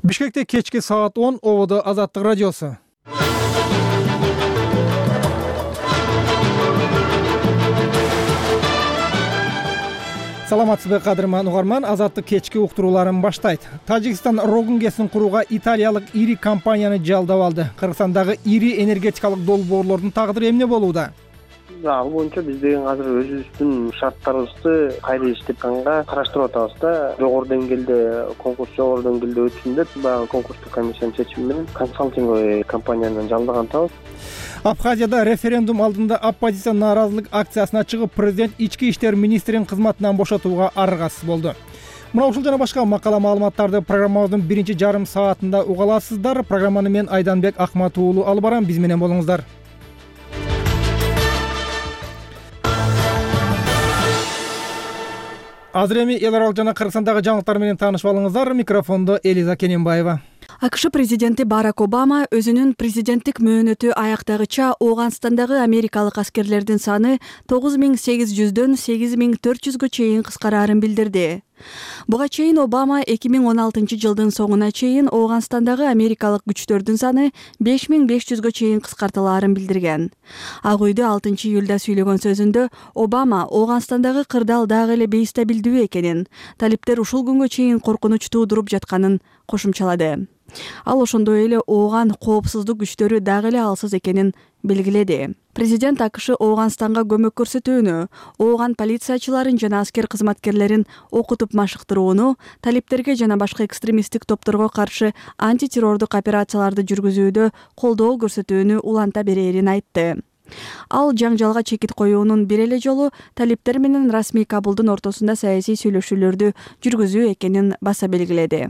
Бишкекте кечки саат 10 ободо Азаттык радиосу. Саламатсызбы кадырман угарман, Азаттык кечки уктурууларын баштайт. Тажикстан Рогункесин курууга италиялык ири компанияны жалдап алды. Кыргызстандагы ири энергетикалык долбоорлордун тагдыры эмне болууда? Ал боюнча биз деген азыр өзүбүздүн шарттарыбызды кайра иштетканга караштырып атабыз да. Жогору деңгээлде жогору деңгээлде өтсүн деп баягы конкурстук комиссиянын чечими менен консалтинговый компанияны жалдаган атабыз. Абхазияда референдум алдында оппозиция нааразылык акциясына чыгып, президент ички иштер министрин кызматынан бошотууга аргасыз болду. Мына ушул жана башка макала маалыматтарды программабыздын биринчи жарым саатында уга аласыздар. Программаны мен Айданбек Акматов уулу алып барам. Биз менен болуңуздар. Азыр эми эл аралык жана Кыргызстандагы жаңылыктар менен таанышып алыңыздар. Микрофондо Элиза Кененбаева. АКШ президенти Барак Обама өзүнүн президенттик мөөнөтү аяктагыча Ооганстандагы америкалык аскерлердин саны 9800дөн 8400гө чейин кыскараарын билдирди. Буга чейин Обама 2016-жылдын соңуна чейин Ооганстандагы америкалык күчтөрдүн саны 5500гө чейин кыскартылаарын билдирген. Ак үйдө 6-июлда сүйлөгөн сөзүндө Обама Ооганстандагы кырдаал дагы эле бейстабилдүү экенин, талиптер ушул күнгө чейин коркунуч туудуруп жатканын кошумчалады. Ал ошондой эле Ооган коопсуздук күчтөрү дагы эле алсыз экенин белгиледи. Президент АКШ Ооганстанга көмөк көрсөтүүнү, Ооган полициячыларын жана аскер кызматкерлерин окутуп машыктырууну, талиптерге жана башка экстремисттик топторго каршы антитеррордук операцияларды жүргүзүүдө колдоо көрсөтүүнү уланта берерин айтты. Ал жаңжалга чекит коюунун бир эле жолу талиптер менен расмий Кабулдун ортосунда саясий сүйлөшүүлөрдү жүргүзүү экенин баса белгиледи.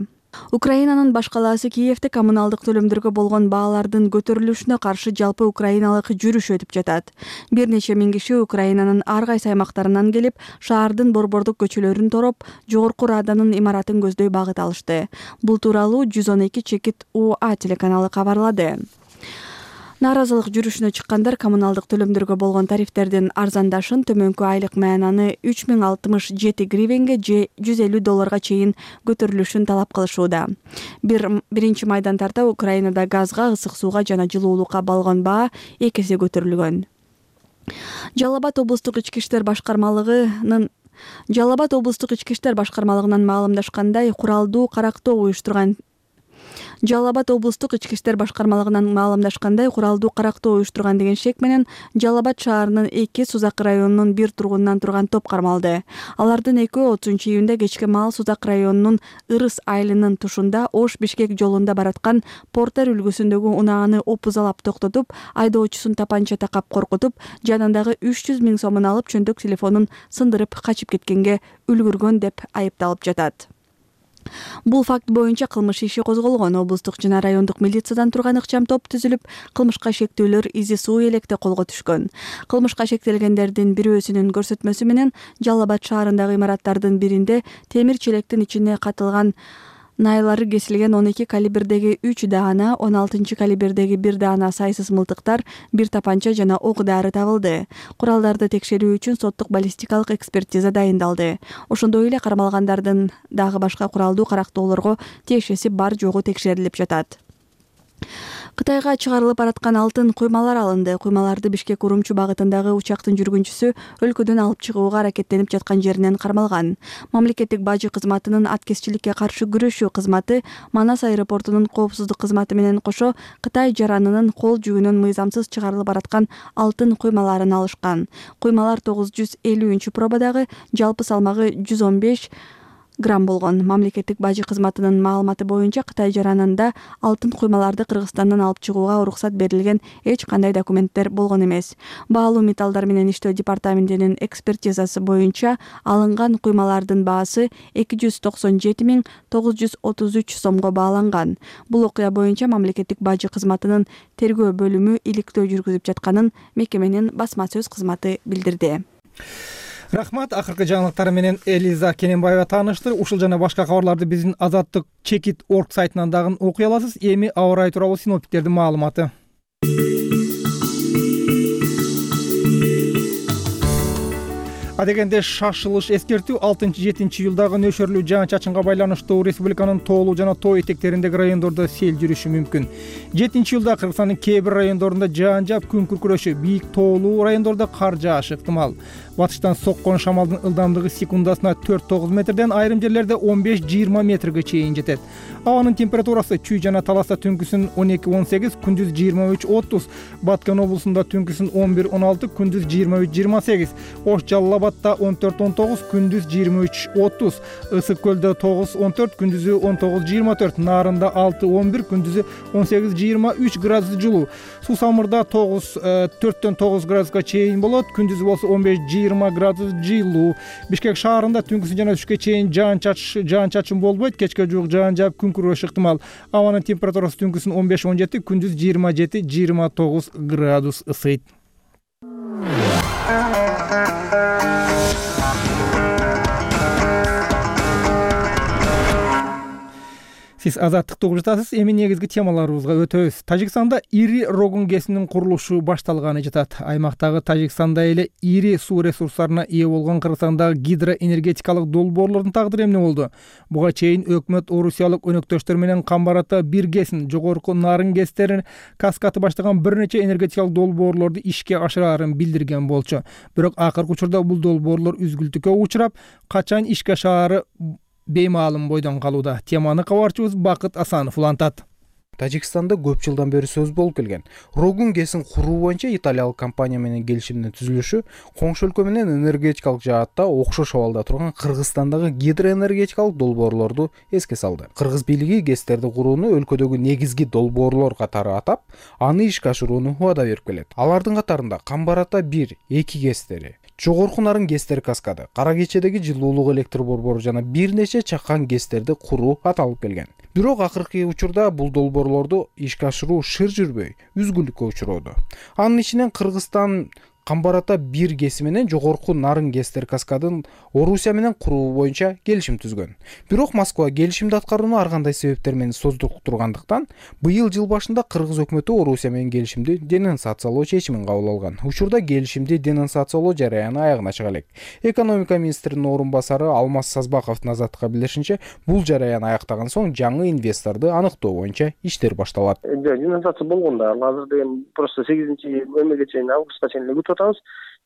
Украинанын баш калаасы Киевде коммуналдык төлөмдөргө болгон баалардын көтөрүлүшүнө каршы жалпы украиналык жүрүш өтүп жатат. Бир нече миң киши Украинанын ар кайсы аймактарынан келип, шаардын борбордук көчөлөрүн тороп, Жогорку Раданын имаратын көздөй багыт алышты. Бул тууралуу 112 чекит УА телеканалы кабарлады. Нааразылык жүрүшүнө чыккандар коммуналдык төлөмдөргө болгон тарифтердин арзандашын, төмөнкү айлык маянаны 3067 гривенге же $150 чейин көтөрүлүшүн талап кылышууда. Биринчи майдан тарта Украинада газга, ысык сууга жана жылуулукка болгон баа 2 эсе көтөрүлгөн. Жалал Абад облустук ички иштер башкармалыгынын маалымдашкандай, куралдуу карактоо уюштурган деген шек менен Жалал Абад шаарынын 2 Сузак районунун 1 тургунунан турган топ кармалды. Алардын экөө 30-июнда кечке маал Сузак районунун Ырыс айылынын тушунда Ош-Бишкек жолунда бараткан Портер үлгүсүндөгү унааны опузалап токтотуп, айдоочусун тапанча такап коркутуп, жанындагы 300 000 сомун алып, чөнтөк телефонун сындырып качып кеткенге үлгүргөн деп айыпталып жатат. Бул факт боюнча кылмыш иши козголгон. Облустук жана райондук милициядан турган ыкчам топ түзүлүп, кылмышка шектүүлөр изи суу электе колго түшкөн. Кылмышка шектелгендердин бирөөсүнүн көрсөтмөсү менен Жалал Абад шаарындагы имараттардын биринде темир челектин ичине катылган найлары кесилген 12 калибрдеги 3 даана, 16 калибрдеги 1 даана сайсыз мылтыктар, 1 тапанча жана ок дары табылды. Куралдарды текшерүү үчүн соттук баллистикалык экспертиза дайындалды. Ошондой эле кармалгандардын дагы башка куралдуу карактоолорго тиешеси бар жогу текшерилип жатат. Кытайга чыгарылып бараткан алтын куймалар алынды. Куймаларды Бишкек Урумчу багытындагы учактын жүргүнчүсү өлкөдөн алып чыгууга аракеттенип жаткан жеринен кармалган. Мамлекеттик бажы кызматынын аткезчиликке каршы күрөшүү кызматы Манас аэропортунун коопсуздук кызматы менен кошо Кытай жаранынын кол жүгүнөн мыйзамсыз чыгарылып бараткан алтын куймаларын алышкан. Куймалар 950 пробадагы, жалпы салмагы 115 грамм болгон. Мамлекеттик бажы кызматынын маалыматы боюнча Кытай жаранында алтын куймаларды Кыргызстандан алып чыгууга уруксат берилген эч кандай документтер болгон эмес. Баалуу металлдар менен иштөө департаментинин экспертизасы боюнча алынган куймалардын баасы 297 933 сомго бааланган. Бул окуя боюнча мамлекеттик бажы кызматынын тергөө бөлүмү иликтөө жүргүзүп жатканын мекеменин басма сөз кызматы билдирди. Рахмат. Акыркы жаңылыктар менен Элиза Кененбаева тааныштыр. Ушул жана башка кабарларды биздин Азаттык чекит орг сайтынан дагы окуй аласыз. Эми аба ырайы тууралуу синоптиктердин маалыматы. Адегенде шашылыш эскертүү 6-7 июлдагы нөшөрлүү жаан-чачынга байланыштуу республиканын тоолуу жана тоо этектериндеги райондордо сел жүрүшү мүмкүн. 7 июлда Кыргызстандын кээ бир райондорунда жаан жаап, күн күркүрөшү, бийик тоолуу райондордо кар жаашы ыктымал. Батыштан соккон шамалдын ылдамдыгы секундасына 4-9 метрден, айрым жерлерде 15-20 метрге чейин жетет. Абанын температурасы Чүй жана Таласта түнкүсүн 12-18, күндүз 23-30, Баткен облусунда түнкүсүн 11-16, күндүз 23-28, Ош Жалал-Абадта 14-19, күндүз 23-30, Ысык көлдө 9-14, күндүзү 19-24, Нарында 6-11, күндүзү 18-23 градус жылуу. Суу Самырда 4-9 градуска чейин болот, күндүзү болсо 15-20 градус жылуу. Бишкек шаарында түнкүсүн жана түшкө чейин жаан-чачын болбойт, кечке жуук жаан жаап, күн күрөшү ыктымал. Абанын температурасы түнкүсүн 15-17, күндүз 27-29 градус ысыйт. Сиз азаттыкты угуп жатасыз. Эми негизги темаларыбызга өтөбүз. Тажикстанда ири рогун кесинин курулушу башталганы жатат. Аймактагы Тажикстанда эле ири суу ресурстарына ээ болгон Кыргызстандагы гидроэнергетикалык долбоорлордун тагдыры эмне болду? Буга чейин өкмөт орусиялык өнөктөштөр менен Камбарата 1 кесин, жогорку Нарын кестерин каскаты баштаган бир нече энергетикалык долбоорлорду ишке ашырарын билдирген болчу. Бирок акыркы учурда бул долбоорлор үзгүлтүккө учурап, качан ишке ашаары беймаалым бойдон калууда. Теманы кабарчыбыз Бакыт Асанов улантат. Тажикстанда көп жылдан бери сөз болуп келген Рогун кесин куруу боюнча италиялык компания менен келишимдин түзүлүшү коңшу өлкө менен энергетикалык жаатта окшош абалда турган Кыргызстандагы гидроэнергетикалык долбоорлорду эске салды. Кыргыз бийлиги кестерди курууну өлкөдөгү негизги долбоорлор катары атап, аны ишке ашырууну убада берип келет. Алардын катарында Камбарата 1, 2 кестери, Жогорку Нарын кестер каскады, Кара Кечедеги жылуулук электр борбору жана бир нече чакан кестерди куруу аталып келген. Бирок акыркы учурда бул долбоорлорду ишке ашыруу шыр жүрбөй, үзгүлтүккө учуроодо. Анын ичинен Кыргызстан Камбарата 1 кеси менен Жогорку Нарын кестер каскадын Орусия менен куруу боюнча келишим түзгөн. Бирок Москва келишимди аткарууну ар кандай себептер менен создургандыктан, быйыл жыл башында Кыргыз өкмөтү Орусия менен келишимди денонсациялоо чечимин кабыл алган. Учурда келишимди денонсациялоо жараяны аягына чыга элек. Экономика министринин орун басары Алмаз Сазбаковдун азаттыкка билдиришинче, бул жараян аяктаган соң жаңы инвесторду аныктоо боюнча иштер башталат. Денонсация болгон да, азыр деген просто 8-эмеге чейин, августка чейин күтүп атабыз.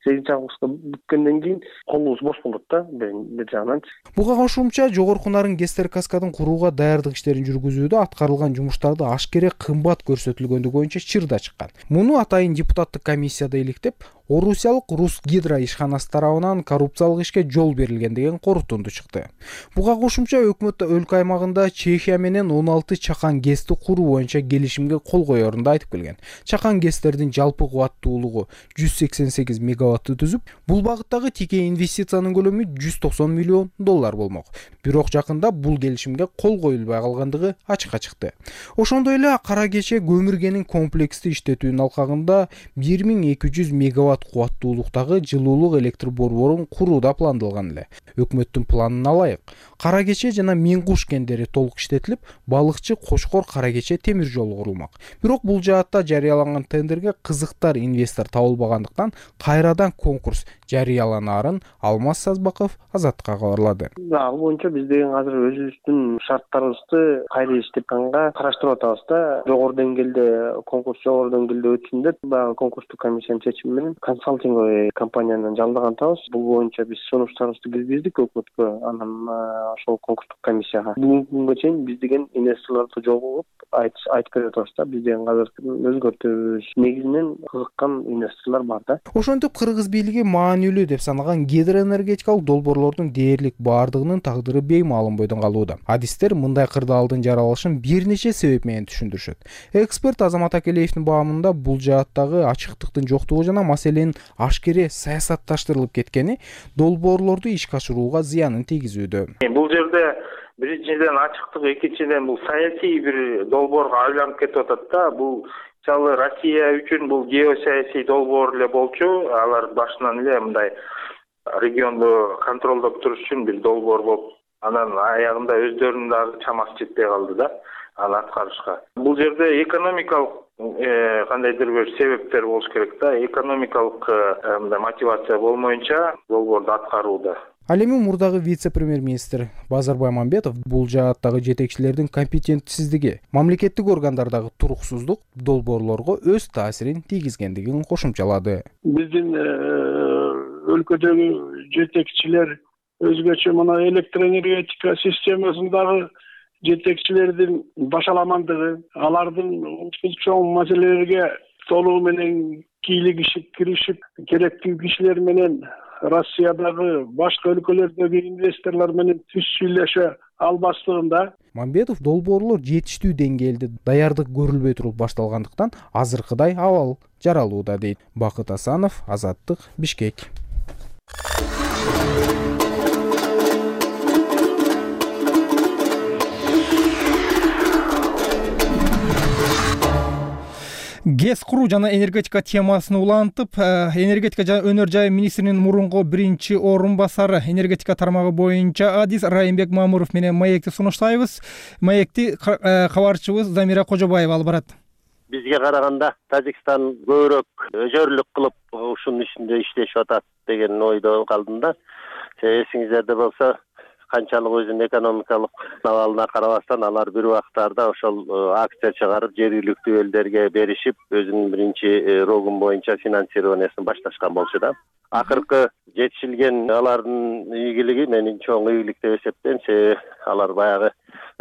8-августка бүткөндөн кийин колубуз бош болот да, бир жагынан. Буга кошумча Жогорку Нарын кестер каскадын курууга даярдык иштерин жүргүзүүдө аткарылган жумуштарды ашкере кымбат көрсөтүлгөндүгү боюнча чыр да чыккан. Муну атайын депутаттык комиссияда иликтеп, Орусиялык Русгидро ишканасы тарабынан коррупциялык ишке жол берилген деген корутунду чыкты. Буга кошумча өкмөт өлкө аймагында Чехия менен 16 чакан кести куруу боюнча келишимге кол коерун да айтып келген. Чакан кестердин жалпы кубаттуулугу 188 мегаватты түзүп, бул багыттагы тике инвестициянын көлөмү $190 миллион болмок. Бирок жакында бул келишимге кол коюлбай калгандыгы ачыкка чыкты. Ошондой эле Кара Кече көмүргенин комплексти иштетүүнүн алкагында 1200 мегаватт кубаттуулуктагы жылуулук электр борборун куруу да пландалган эле. Өкмөттүн планына ылайык, Кара Кече жана Миңгуш кендери толук иштетилип, балыкчы Кошкор Кара Кече темир жолу курулмак. Бирок бул жаатта жарыяланган тендерге кызыктар инвестор табылбагандыктан кайрадан конкурс жарыяланаарын Алмаз Сазбаков азаттыкка кабарлады. Ал боюнча биз деген азыр өзүбүздүн шарттарыбызды кайра иштепканга караштырып атабыз да. Жогору деңгээлде конкурс жогору деңгээлде өтсүн деп, баягы конкурстук комиссиянын чечими менен консалтинговый компанияны жалдаган атабыз. Бул боюнча биз сунуштарыбызды киргиздик өкмөткө, анан ошол конкурстук комиссияга. Бүгүнкү күнгө чейин биз деген инвесторлорду жолугуп айтып берип атабыз да. Биз деген азыр өзгөртөбүз. Негизинен кызыккан инвесторлор бар да. Ошентип Кыргыз бийлиги маанилүү деп санаган гидроэнергетикалык долбоорлордун дээрлик баардыгынын тагдыры беймаалым бойдон калууда. Адистер мындай кырдаалдын жаралышын бир нече себеп менен түшүндүрүшөт. Эксперт Азамат Акелеевдин баамында бул жааттагы ачыктыктын жоктугу жана маселенин ашкере саясатташтырылып кеткени долбоорлорду ишке ашырууга зыянын тийгизүүдө. Бул жерде биринчиден ачыктык, экинчиден бул саясий бир долбоорго айланып кетип атат да. Бул мисалы Россия үчүн бул геосаясий долбоор эле болчу. Алар башынан эле мындай регионду контролдоп туруш үчүн бир долбоор болуп, анан аягында өздөрүнүн дагы чамасы жетпей калды да аны аткарышка. Бул жерде экономикалык кандайдыр бир себептер болуш керек да. Экономикалык мындай мотивация болмоюнча долбоорду аткарууда. Ал эми мурдагы вице-премьер-министр Базарбай Мамбетов бул жааттагы жетекчилердин компетентсиздиги, мамлекеттик органдардагы туруксуздук долбоорлорго өз таасирин тийгизгендигин кошумчалады. Биздин өлкөдөгү жетекчилер өзгөчө мына электроэнергетика системасындагы жетекчилердин башаламандыгы, алардын ушул чоң маселелерге толугу менен кийлигишип керектүү кишилер менен Россиядагы башка өлкөлөрдөгү инвесторлор менен түз сүйлөшө албастыгында. Мамбетов долбоорлор жетиштүү деңгээлде даярдык көрүлбөй туруп башталгандыктан азыркыдай абал жаралууда дейт. Бакыт Асанов, Азаттык, Бишкек. ГЭС куруу жана энергетика темасын улантып, энергетика жана өнөр жай министринин мурунку биринчи орун басары, энергетика тармагы боюнча адис Райымбек Мамуров менен маекти сунуштайбыз. Маекти кабарчыбыз Замира Кожобаева алып барат. Бизге караганда Тажикстан көбүрөөк өжөрлүк кылып ушунун ичинде иштешип атат деген ойдо калдым да. Эсиңиздерде болсо, канчалык өзүнүн экономикалык абалына карабастан алар бир убактарда ошол акция чыгарып жергиликтүү элдерге беришип, өзүнүн биринчи рогун боюнча финансированиясын башташкан болчу да. Акыркы жетишилген алардын ийгилиги менин чоң ийгилик деп эсептейм. Себеби алар баягы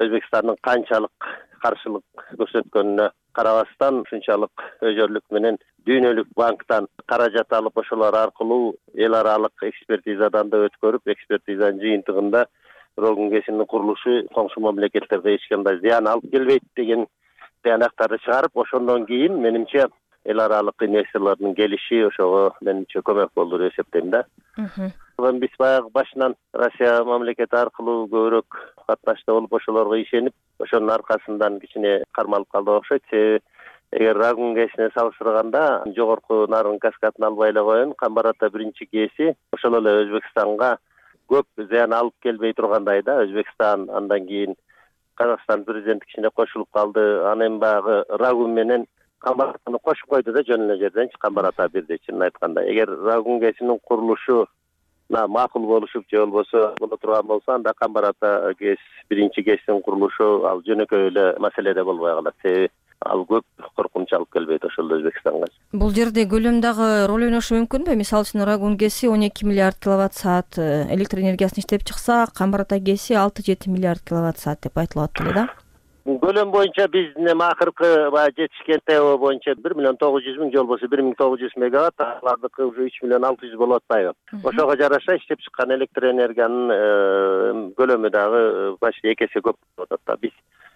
Өзбекстандын канчалык каршылык көрсөткөнүнө карабастан ушунчалык өжөрлүк менен дүйнөлүк банктан каражат алып, ошолор аркылуу эл аралык экспертизадан да өткөрүп, экспертизанын жыйынтыгында Рогун ГЭСинин курулушу коңшу мамлекеттерге эч кандай зыян алып келбейт деген тыянактарды чыгарып, ошондон кийин менимче эл аралык инвесторлордун келиши ошого менимче көмөк болду деп эсептейм да. Биз баягы башынан Россия мамлекети аркылуу көбүрөөк катнашта болуп, ошолорго ишенип, ошонун аркасынан кичине кармалып калдык окшойт. Себеби эгер Рогун ГЭСине салыштырганда жогорку Нарын каскадын албай эле коеюн, Камбар Ата биринчи ГЭСи ошол эле Өзбекстанга көп зыян алып келбей тургандай да. Өзбекстан андан кийин Казакстан президенти кичине кошулуп калды. Анан баягы Рогун менен Камбар Атаны кошуп койду да, жөн эле жерденчи Камбар Ата бирди. Чынын айтканда, эгер Рогун ГЭСинин курулушу макул болушуп же болбосо боло турган болсо, анда Камбар Ата ГЭС биринчи ГЭСинин курулушу ал жөнөкөй эле маселеде болбой калат. Себеби ал көп коркунуч алып келбейт ошол Өзбекстанга. Бул жерде көлөм дагы роль ойношу мүмкүнбү? Мисалы үчүн Рогун ГЭСи 12 миллиард киловатт саат электр энергиясын иштеп чыкса, Камбар Ата ГЭСи 6-7 миллиард киловатт саат деп айтылып атты эле да. Көлөм боюнча биздин эми акыркы жетишкен ТО боюнча 1.900.000 же болбосо 1.900 мегаватт, алардыкы уже 3.600.000 болуп атпайбы? Ошого жараша иштеп чыккан электр энергиянын көлөмү дагы почти 2 эсе көп болуп атат да. Биз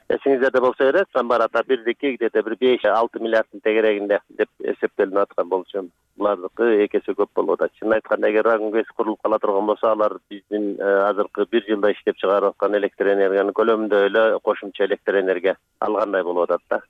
эсиңиздерде болсо керек, Камбар Ата бирдики где-то бир 5-6 миллиарддын тегерегинде деп эсептелип аткан болчу. Булардыкы 2 эсе көп болуп атат. Чынын айтканда, эгер Рогун ГЭС курулуп кала турган болсо, алар биздин азыркы 1 жылда иштеп чыгарып аткан электр энергиянын көлөмүндө эле кошумча электр энергия алгандай болуп атат да.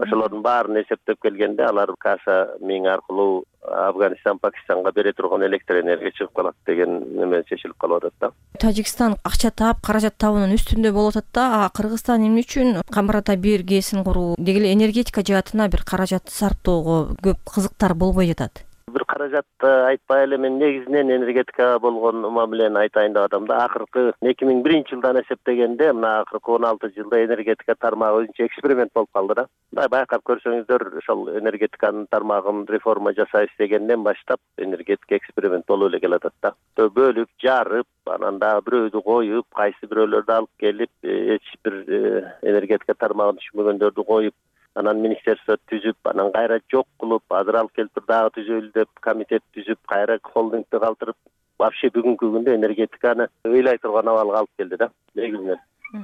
Ошолордун баарын эсептеп келгенде, алар Каса миң аркылуу Афганистан, Пакистанга бере турган электр энергия чыгып калат деген неме чечилип калып атат да. Тажикстан акча таап, каражат табуунун үстүндө болуп атат да. Кыргызстан эмне үчүн Камбар Ата 1 ГЭСин куруу деги эле энергетика жаатына бир каражат сарптоого көп кызыктар болбой жатат? Бир каражатты айтпай эле мен негизинен энергетикага болгон мамилени айтайын деп атам да. Акыркы 2001 жылдан эсептегенде, мына акыркы 16 жылда энергетика тармагы өзүнчө эксперимент болуп калды да. Байкап көрсөңүздөр, ошол энергетиканын тармагын реформа жасайбыз дегенден баштап энергетика эксперимент болуп эле келатат да. Бөлүп, жарып, анан дагы бирөөдү коюп, кайсы бирөөлөрдү алып келип, эч бир энергетика тармагын түшүнбөгөндөрдү коюп, анан министерство түзүп, анан кайра жок кылып, азыр алып келип дагы түзөлү деп комитет түзүп, кайра холдингди калтырып, вообще бүгүнкү күндө энергетиканы ыйлай турган абалга алып келди да. Негизинен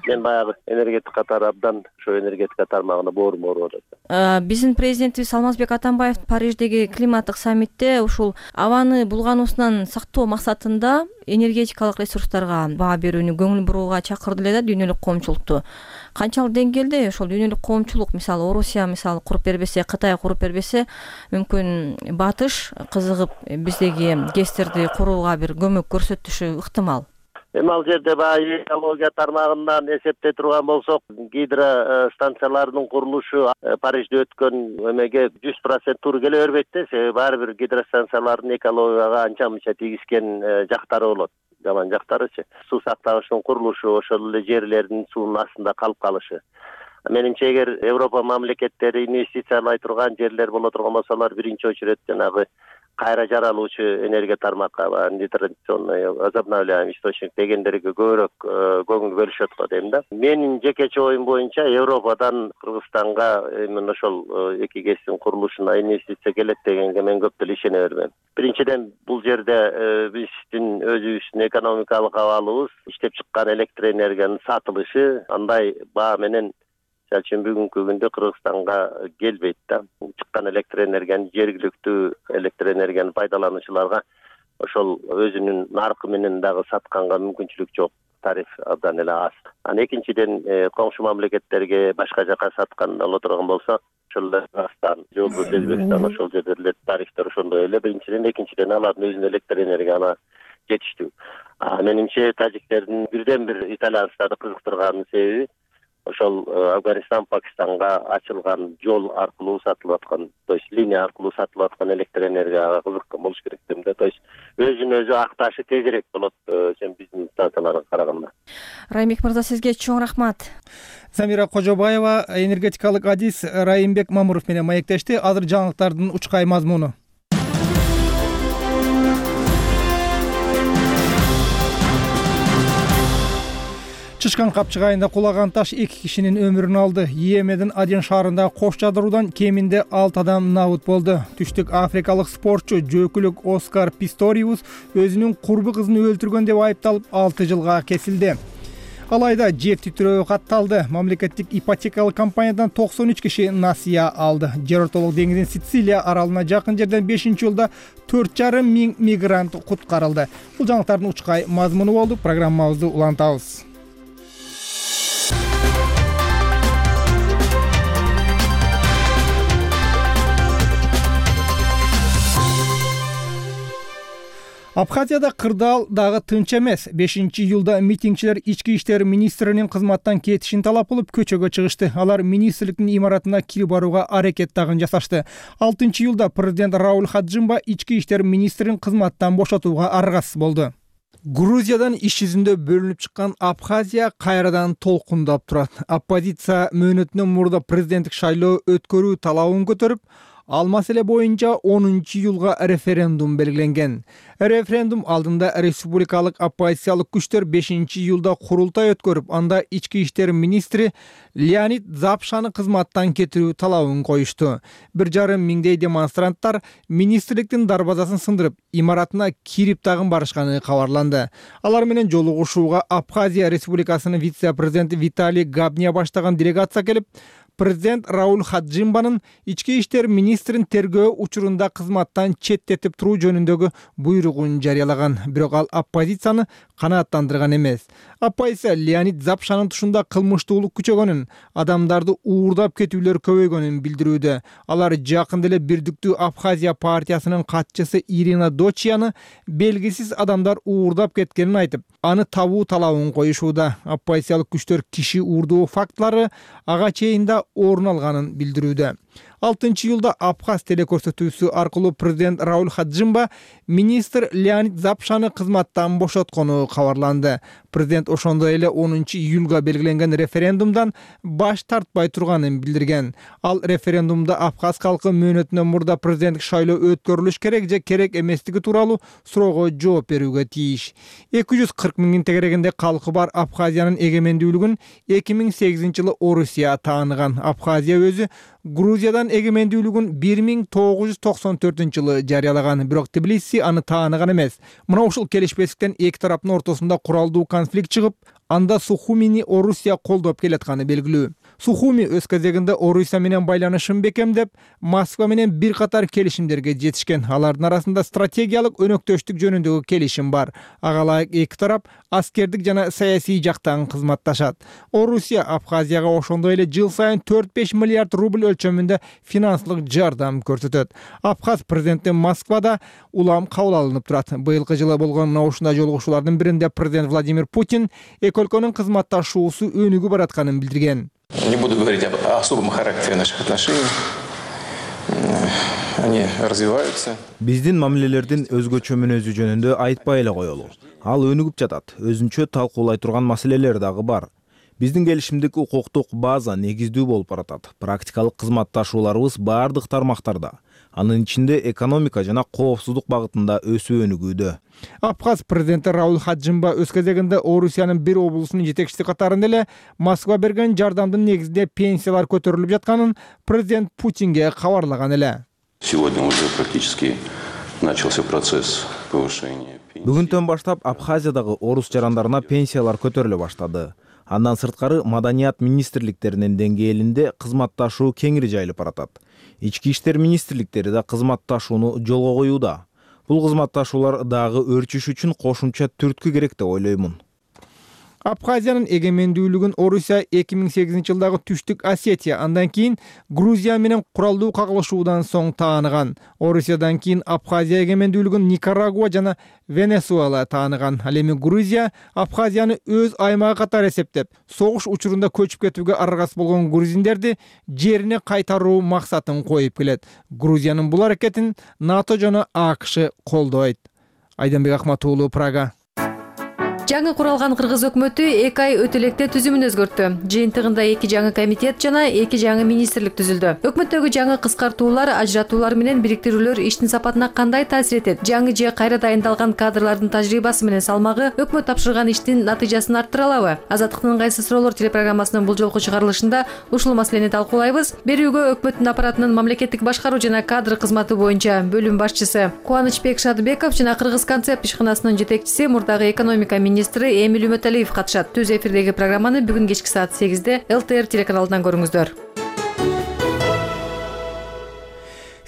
мен баягы энергетика тарабынан ошо энергетика тармагына боорум ооруп атат. Биздин президентибиз Алмазбек Атамбаев Париждеги климаттык саммитте ушул абаны булгануусунан сактоо максатында энергетикалык ресурстарга баа берүүнү көңүл бурууга чакырды эле да дүйнөлүк коомчулукту. Канчалык деңгээлде ошол дүйнөлүк коомчулук, мисалы Орусия куруп бербесе, Кытай куруп бербесе, мүмкүн батыш кызыгып биздеги ГЭСтерди курууга бир көмөк көрсөтүшү ыктымал? Эми ал жерде баягы экология тармагынан эсептей турган болсок, гидростанциялардын курулушу Парижде өткөн эмеге 100% туура келе бербейт да. Себеби ар бир гидростанциялардын экологияга анча мынча тийгизген жактары болот. Жаман жактарычы. Суу сактагычтын курулушу, ошол эле жерлердин суунун астында калып калышы. Менимче эгер Европа мамлекеттери инвестициялай турган жерлер боло турган болсо, алар биринчи очередь жанагы кайра жаралуучу энергия тармакка, нетрадиционный, возобновляемый источник дегендерге көбүрөөк көңүл бөлүшөт го дейм да. Менин жекече оюм боюнча Европадан Кыргызстанга именно ошол эки КЭСтин курулушуна инвестиция келет дегенге мен көп деле ишене бербейм. Биринчиден, бул жерде биздин өзүбүздүн экономикалык абалыбыз, иштеп чыккан электр энергиянын сатылышы андай баа менен Мисалы үчүн бүгүнкү күндө Кыргызстанга келбейт да. Чыккан электр энергияны жергиликтүү электр энергияны пайдалануучуларга ошол өзүнүн наркы менен дагы сатканга мүмкүнчүлүк жок. Тариф абдан эле аз. Экинчиден, коңшу мамлекеттерге башка жака саткан боло турган болсо, ошол Кыргызстан, Өзбекстан ошол жерлерде тарифтер ошондой эле. Биринчиден, экинчиден алардын өзүнүн электр энергиясына жетиштүү. Менимче тажиктердин бирден бир итальянстарды кызыктырганын себеби ошол Афганистан, Пакистанга ачылган жол аркылуу сатылып аткан, то есть линия аркылуу сатылып аткан электр энергияга кызыккан болуш керек дейм да. То есть өзүн өзү акташы тезирээк болот чем биздин станцияларга караганда. Райымбек мырза, сизге чоң рахмат. Замира Кожобаева энергетикалык адис Райымбек Мамуров менен маектешти. Азыр жаңылыктардын учкай мазмуну. Чышкан Капчык айында кулаган таш 2 кишинин өмүрүн алды. Йемендин Аден шаарында кош жадыруудан кеминде 6 адам набыт болду. Түштүк Африкалык спортчу жөөкүлүк Оскар Писториус өзүнүн курбу кызын өлтүргөн деп айыпталып 6 жылга кесилди. Алайда жер титирөө катталды. Мамлекеттик ипотекалык компаниядан 93 киши насыя алды. Жер ортолук деңиздин Сицилия аралына жакын жерден 5-жылда 4,5 миң мигрант куткарылды. Бул жаңылыктардын учкай мазмуну болду. Программабызды улантабыз. Абхазияда кырдаал дагы тынч эмес. 5-июлда митингчилер ички иштер министринин кызматтан кетишин талап кылып көчөгө чыгышты. Алар министрликтин имаратына кирип барууга аракет дагы жасашты. 6-июлда президент Рауль Хаджимба ички иштер министрин кызматтан бошотууга аргасыз болду. Грузиядан иш жүзүндө бөлүнүп чыккан Абхазия кайрадан толкундап турат. Оппозиция мөөнөтүнөн мурда президенттик шайлоо өткөрүү талабын көтөрүп, ал маселе боюнча 10-июлга референдум белгиленген. Референдум алдында республикалык оппозициялык күчтөр 5-июлда курултай өткөрүп, анда ички иштер министри Леонид Запшаны кызматтан кетирүү талабын коюшту. 1,5 миңдей демонстранттар министрликтин дарбазасын сындырып, имаратына кирип тагын барышканы кабарланды. Алар менен жолугушууга Абхазия республикасынын вице-президенти Виталий Габния баштаган делегация келип, президент Рауль Хаджимбанын ички иштер министрин тергөө учурунда кызматтан четтетип туруу жөнүндөгү буйругун жарыялаган. Бирок ал оппозицияны канааттандырган эмес. Оппозиция Леонид Запшанын тушунда кылмыштуулук күчөгөнүн, адамдарды уурдап кетүүлөр көбөйгөнүн билдирүүдө. Алар жакында эле Бирдиктүү Абхазия партиясынын катчысы Ирина Дочияны белгисиз адамдар уурдап кеткенин айтып, аны табуу талабын коюшууда. Оппозициялык күчтөр киши уурдоо фактылары ага чейин да орун алганын билдирүүдө. 6-июлда Абхаз телекөрсөтүүсү аркылуу президент Рауль Хаджимба министр Леонид Запшаны кызматтан бошоткону кабарланды. Президент ошондой эле 10-июлга белгиленген референдумдан баш тартпай турганын билдирген. Ал референдумда Абхаз калкы мөөнөтүнөн мурда президенттик шайлоо өткөрүлүш керек же керек эместиги тууралуу суроого жооп берүүгө тийиш. 240 миңдин тегерегинде калкы бар Абхазиянын эгемендүүлүгүн 2008-жылы Орусия тааныган. Абхазия өзү Грузиядан эгемендүүлүгүн 1994-жылы жарыялаган, бирок Тбилиси аны тааныган эмес. Мына ушул келишпестиктен эки тараптын ортосунда куралдуу конфликт чыгып, анда Сухумини Орусия колдоп келатканы белгилүү. Сухуми өз кезегинде Орусия менен байланышын бекемдеп, Москва менен бир катар келишимдерге жетишкен. Алардын арасында стратегиялык өнөктөштүк жөнүндөгү келишим бар. Ага ылайык эки тарап аскердик жана саясий жактан кызматташат. Орусия Абхазияга ошондой эле жыл сайын 4-5 миллиард рубль өлчөмүндө финансылык жардам көрсөтөт. Абхаз президенти Москвада улам кабыл алынып турат. Быйылкы жылы болгон ушундай жолугушуулардын биринде президент Владимир Путин эки өлкөнүн кызматташуусу өнүгүп баратканын билдирген. Не буду говорить об особом характере наших отношений. Они развиваются. Биздин мамилелердин өзгөчө мүнөзү жөнүндө айтпай эле коелу. Ал өнүгүп жатат. Өзүнчө талкуулай турган маселелер дагы бар. Биздин келишимдик укуктук база негиздүү болуп баратат. Практикалык кызматташууларыбыз бардык тармактарда. Анын ичинде экономика жана коопсуздук багытында өсүү өнүгүүдө. Абхаз президенти Рауль Хаджимба өз кезегинде Орусиянын бир облусунун жетекчиси катарында эле Москва берген жардамдын негизинде пенсиялар көтөрүлүп жатканын президент Путинге кабарлаган эле. Сегодня уже практически начался процесс повышения. Бүгүндөн баштап Абхазиядагы орус жарандарына пенсиялар көтөрүлө баштады. Андан сырткары маданият министрликтеринин деңгээлинде кызматташуу кеңири жайылып баратат. Ички иштер министрликтери да кызматташууну жолго коюуда. Бул кызматташуулар дагы өрчүш үчүн кошумча түрткү керек деп ойлоймун. Абхазиянын эгемендүүлүгүн Орусия 2008-жылдагы Түштүк Осетия, андан кийин Грузия менен куралдуу кагылышуудан соң тааныган. Орусиядан кийин Абхазия эгемендүүлүгүн Никарагуа жана Венесуэла тааныган. Ал эми Грузия Абхазияны өз аймагы катары эсептеп, согуш учурунда көчүп кетүүгө аргасыз болгон грузиндерди жерине кайтаруу максатын коюп келет. Грузиянын бул аракетин НАТО жана АКШ колдойт. Айданбек Акматуулу, Прага. Жаңы куралган кыргыз өкмөтү 2 ай өтө электе түзүмүн өзгөрттү. Жыйынтыгында 2 жаңы комитет жана 2 жаңы министрлик түзүлдү. Өкмөттөгү жаңы кыскартуулар, ажыратуулар менен бириктирүүлөр иштин сапатына кандай таасир этет? Жаңы же кайра дайындалган кадрлардын тажрыйбасы менен салмагы өкмөт тапшырган иштин натыйжасын арттыра алабы? Азаттыктын ыңгайсыз суроолор телепрограммасынын бул жолку чыгарылышында ушул маселени талкуулайбыз. Берүүгө өкмөттүн аппаратынын мамлекеттик башкаруу жана кадр кызматы боюнча бөлүм башчысы Кубанычбек Шадыбеков жана Кыргыз концепт ишканасынын жетекчиси, мурдагы экономика министри Эмиль Үмөталиев катышат. Түз эфирдеги программаны бүгүн кечки саат 8-де ЛТР телеканалынан көрүңүздөр.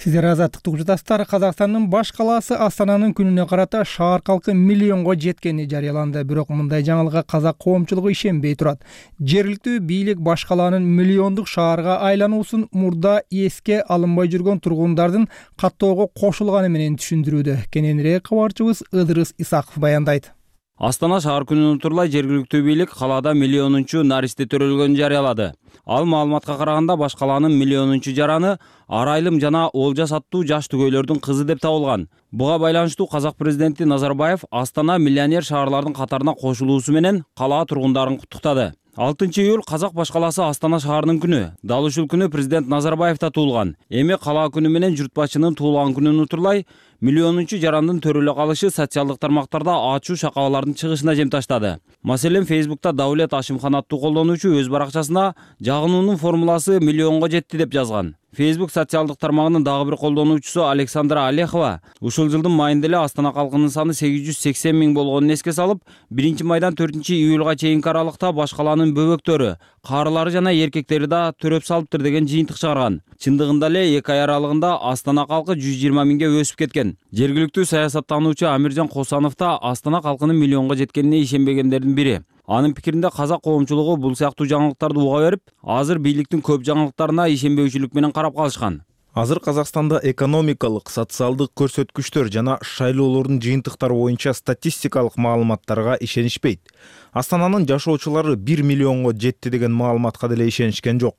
Сиздер азаттыкты угуп жатасыздар. Казакстандын баш калаасы Астананын күнүнө карата шаар калкы миллионго жеткени жарыяланды. Бирок мындай жаңылыкка казак коомчулугу ишенбей турат. Жергиликтүү бийлик баш калаанын миллиондук шаарга айлануусун мурда эске алынбай жүргөн тургундардын каттоого кошулганы менен түшүндүрүүдө. Кененирээк кабарчыбыз Ыдырыс Исаков баяндайт. Астана шаар күнүн утурлай жергиликтүү бийлик калаада миллионунчу наристе төрөлгөнүн жарыялады. Ал маалыматка караганда баш калаанын миллионунчу жараны Арайлым жана Олжас аттуу жаш түгөйлөрдүн кызы деп табылган. Буга байланыштуу казак президенти Назарбаев Астана миллионер шаарлардын катарына кошулуусу менен калаа тургундарын куттуктады. 6-июль казак баш калаасы Астана шаарынын күнү. Дал ушул күнү президент Назарбаев да туулган. Эми калаа күнү менен журт башчынын туулган күнүн утурлай миллионунчу жарандын төрөлө калышы социалдык тармактарда ачуу шакалалардын чыгышына жем таштады. Маселен, Фейсбукта Даулет Ашимхан аттуу колдонуучу өз баракчасына жагынуунун формуласы миллионго жетти деп жазган. Facebook социалдык тармагынын дагы бир колдонуучусу Александра Олехова ушул жылдын майында эле Астана калкынын саны 880 миң болгонун эске салып, 1-майдан 4-июлга чейинки аралыкта баш калаанын бөбөктөрү, карылары жана эркектери да төрөп салыптыр деген жыйынтык чыгарган. Чындыгында эле 2 ай аралыгында Астана калкы 120 миңге өсүп кеткен. Жергиликтүү саясаттануучу Амиржан Косанов да Астана калкынын миллионго жеткенине ишенбегендердин бири. Анын пикиринде казак коомчулугу бул сыяктуу жаңылыктарды уга берип, азыр бийликтин көп жаңылыктарына ишенбөөчүлүк менен карап калышкан. Азыр Казакстанда экономикалык, социалдык көрсөткүчтөр жана шайлоолордун жыйынтыктары боюнча статистикалык маалыматтарга ишенишпейт. Астананын жашоочулары 1 миллионго жетти деген маалыматка деле ишенишкен жок.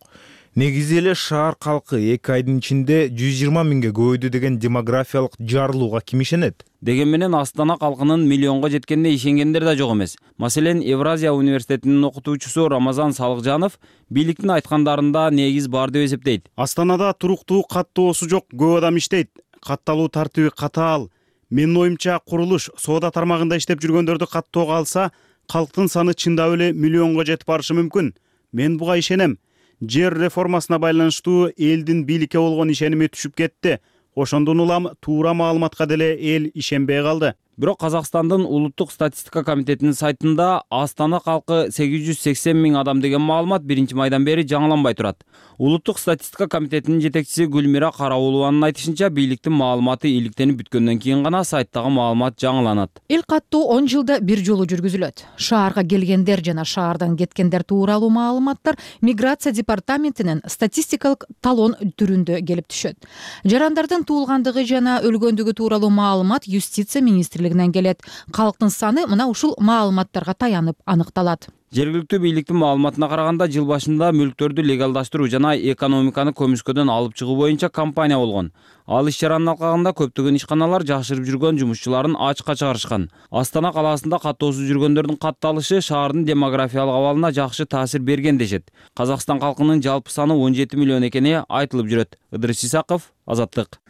Негизи эле шаар калкы 2 айдын ичинде 120 миңге көбөйдү деген демографиялык жарылууга ким ишенет? Деген менен Астана калкынын миллионго жеткенине ишенгендер да жок эмес. Маселен, Евразия университетинин окутуучусу Рамазан Салыкжанов бийликтин айткандарында негиз бар деп эсептейт. Астанада туруктуу каттоосу жок, көп адам иштейт. Катталуу тартиби катаал. Менин оюмча, курулуш, соода тармагында иштеп жүргөндөрдү каттоого алса, калктын саны чындап эле миллионго жетип барышы мүмкүн. Мен буга ишенем. Жер реформасына байланыштуу элдин бийликке болгон ишеними түшүп кетти. Ошондон улам туура маалыматка деле эл ишенбей калды. Бирок Казакстандын улуттук статистика комитетинин сайтында Астана калкы 880 миң адам деген маалымат 1 майдан бери жаңыланбай турат. Улуттук статистика комитетинин жетекчиси Гүлмира Караулованын айтышынча, бийликтин маалыматы иликтенип бүткөндөн кийин гана сайттагы маалымат жаңыланат. Эл каттоо 10 жылда бир жолу жүргүзүлөт. Шаарга келгендер жана шаардан кеткендер тууралуу маалыматтар миграция департаментинин статистикалык талон түрүндө келип түшөт. Жарандардын туулгандыгы жана өлгөндүгү тууралуу маалымат юстиция министрлигинен келет. Калктын саны мына ушул маалыматтарга таянып аныкталат. Жергиликтүү бийликтин маалыматына караганда, жыл башында мүлктөрдү легалдаштыруу жана экономиканы көмүскөдөн алып чыгуу боюнча кампания болгон. Ал иш-чаранын алкагында көптөгөн ишканалар жашырып жүргөн жумушчуларын ачыкка чыгарышкан. Астана калаасында каттоосуз жүргөндөрдүн катталышы шаардын демографиялык абалына жакшы таасир берген дешет. Казакстан калкынын жалпы саны 17 миллион экени айтылып жүрөт. Ыдырыс Исаков, Азаттык.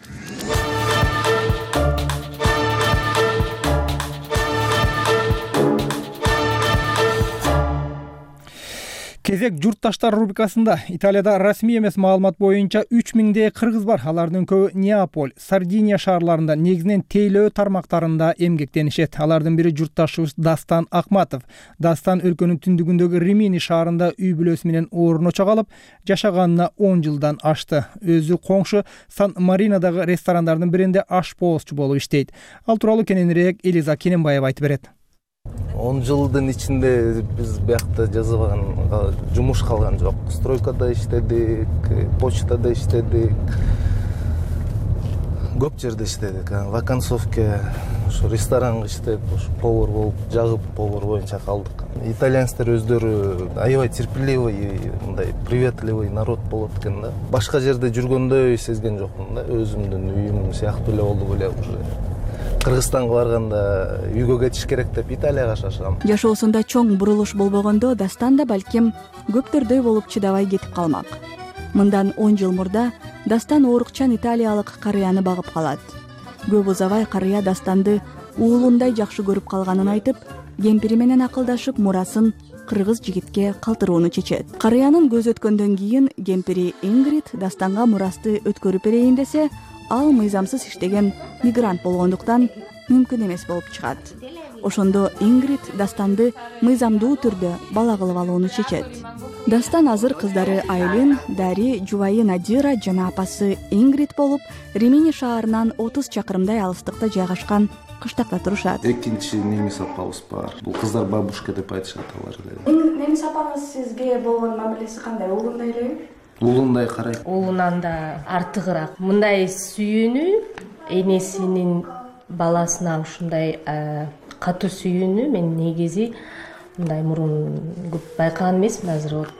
Кезек журтташтар рубрикасында Италияда расмий эмес маалымат боюнча 3000 кыргыз бар. Алардын көбү Неаполь, Сардиния шаарларында, негизинен тейлөө тармактарында эмгектенишет. Алардын бири журтташыбыз Дастан Акматов. Дастан өлкөнүн түндүгүндөгү Римини шаарында үй бүлөсү менен орночо калып, жашаганына 10 жылдан ашты. Өзү коңшу Сан-Маринодагы ресторандардын биринде ашпоозчу болуп иштейт. Ал тууралуу кененирээк Элиза Кененбаева айтып берет. 10 жылдын ичинде биз биякта жазбаган жумуш калган жок. Стройкада иштедик, почтада иштедик, көп жерде иштедик. Вакансовке, ошо ресторанга иштеп, повар болуп, жагып повар боюнча калдык. Итальянецтер өздөрү аябай терпеливый, мындай приветливый народ болот экен да. Башка жерде жүргөндөй сезген жокмун да. Өзүмдүн үйүм сыяктуу эле болду беле уже. Кыргызстанга барганда үйгө кетиш керек деп Италияга шашам. Жашоосунда чоң бурулуш болбогондо Дастан да балким көптөрдөй болуп чыдабай кетип калмак. Мындан 10 жыл мурда Дастан оорукчан италиялык карыяны багып калат. Көп узабай карыя Дастанды уулундай жакшы көрүп калганын айтып, кемпири менен акылдашып мурасын кыргыз жигитке калтырууну чечет. Карыянын көз өткөндөн кийин кемпири Ингрид Дастанга мурасты өткөрүп берейин десе, ал мыйзамсыз иштеген мигрант болгондуктан мүмкүн эмес болуп чыгат. Ошондо Ингрид Дастанды мыйзамдуу түрдө бала кылып алууну чечет. Дастан азыр кыздары Айлин, Дари, жубайы Надира жана апасы Ингрид болуп, Римини шаарынан 30 чакырымдай алыстыкта жайгашкан кыштакта турушат. Экинчи немис апабыз бар. Бул кыздар бабушка деп айтышат алар эле. Немис апаңыз сизге болгон мамилеси кандай? Уулундай элеби? Уулундай карайт. Уулунан да артыгыраак. Мындай сүйүүнү энесинин баласына ушундай катуу сүйүүнү мен негизи мындай мурун көп байкаган эмесмин. Азыр вот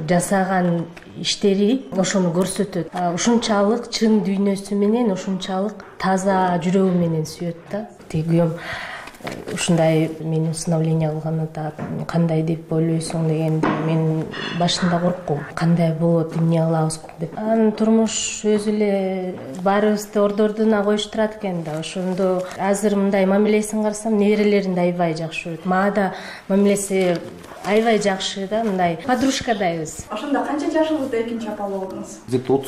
жасаган иштери ошону көрсөтөт. Ушунчалык чын дүйнөсү менен, ушунчалык таза жүрөгү менен сүйөт да. Күйөөм ушундай мени усыновление кылганы да кандай деп ойлойсуң деген мен башында корккум. Кандай болот, эмне кылабыз деп. Анын турмуш өзү эле баарыбызды ордордуна коюштурат экен да. Ошондо азыр мындай мамилесин карасам, неберелерин да аябай жакшы көрөт. Мага да мамилеси аябай жакшы да, мындай подружкадайбыз. Ошондо канча жашыңызда экинчи апа болдуңуз? Где-то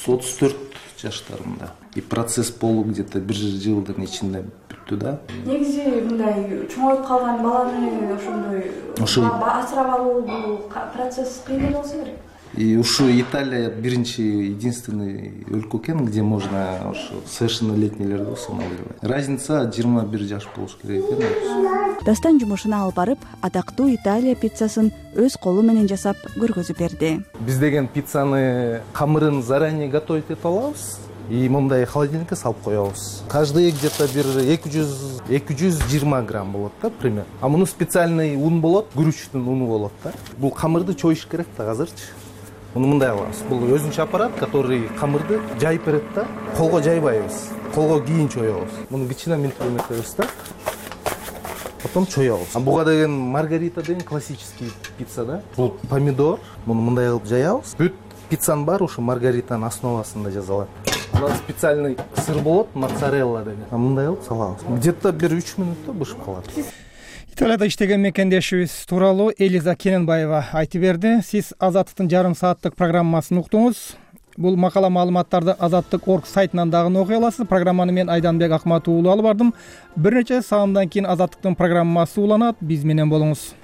34 жаштарымда. И процесс болуу где-то 1 жылдын ичинде бүттү да. Негизи мындай чоңоюп калган баланы ошондой асырап алуу бул процесс кыйын эле болсо керек. И ушу Италия биринчи, единственный өлкө экен, где можно совершеннолетнийлерди усыновливать. Разница 21 жаш болуш керек экен. Дастан жумушуна алып барып, атактуу Италия пиццасын өз колу менен жасап көргөзүп берди. Биз деген пиццаны камырын заранее готовить этип алабыз. И мындай холодильникке салып коебуз. Каждый где-то бир 220 грамм болот да, пример. А муну специальный ун болот, күрүчтүн уну болот да. Бул камырды чоюш керек да азырчы. Муну мындай кылабыз. Бул өзүнчө аппарат, который камырды жайып берет да. Колго жайбайбыз. Колго кийин чоебуз. Муну кичине минтип өтөбүз да. Потом чоебуз. А буга деген маргарита деген классический пицца да. Бул помидор. Муну мындай кылып жаябыз. Бүт пиццанын баары ушу маргаританын основасында жасалат. Мына специальный сыр болот, моцарелла деген. Мындай кылып салабыз. Где-то бир 3 минутта бышып калат. Италияда иштеген мекендешибиз тууралуу Элиза Кененбаева айтып берди. Сиз Азаттыктын жарым сааттык программасын уктуңуз. Бул макала маалыматтарды Азаттык.org сайтынан дагы окуй аласыз. Программаны мен Айданбек Акматов уулу алып бардым. Бир нече саамдан кийин Азаттыктын программасы уланат. Биз менен болуңуз.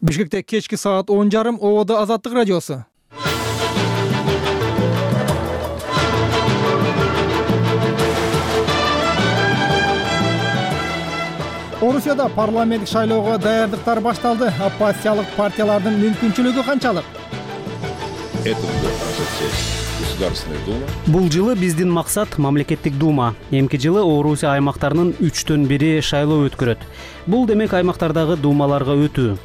Бишкекте кечки саат 10:30 Ободо Азаттык радиосу. Орусияда парламенттик шайлоого даярдыктар башталды. Оппозициялык партиялардын мүмкүнчүлүгү канчалык? Бул жылы биздин максат мамлекеттик дума. Эмки жылы Орусия аймактарынын 1/3 шайлоо өткөрөт. Бул демек аймактардагы думаларга өтүү.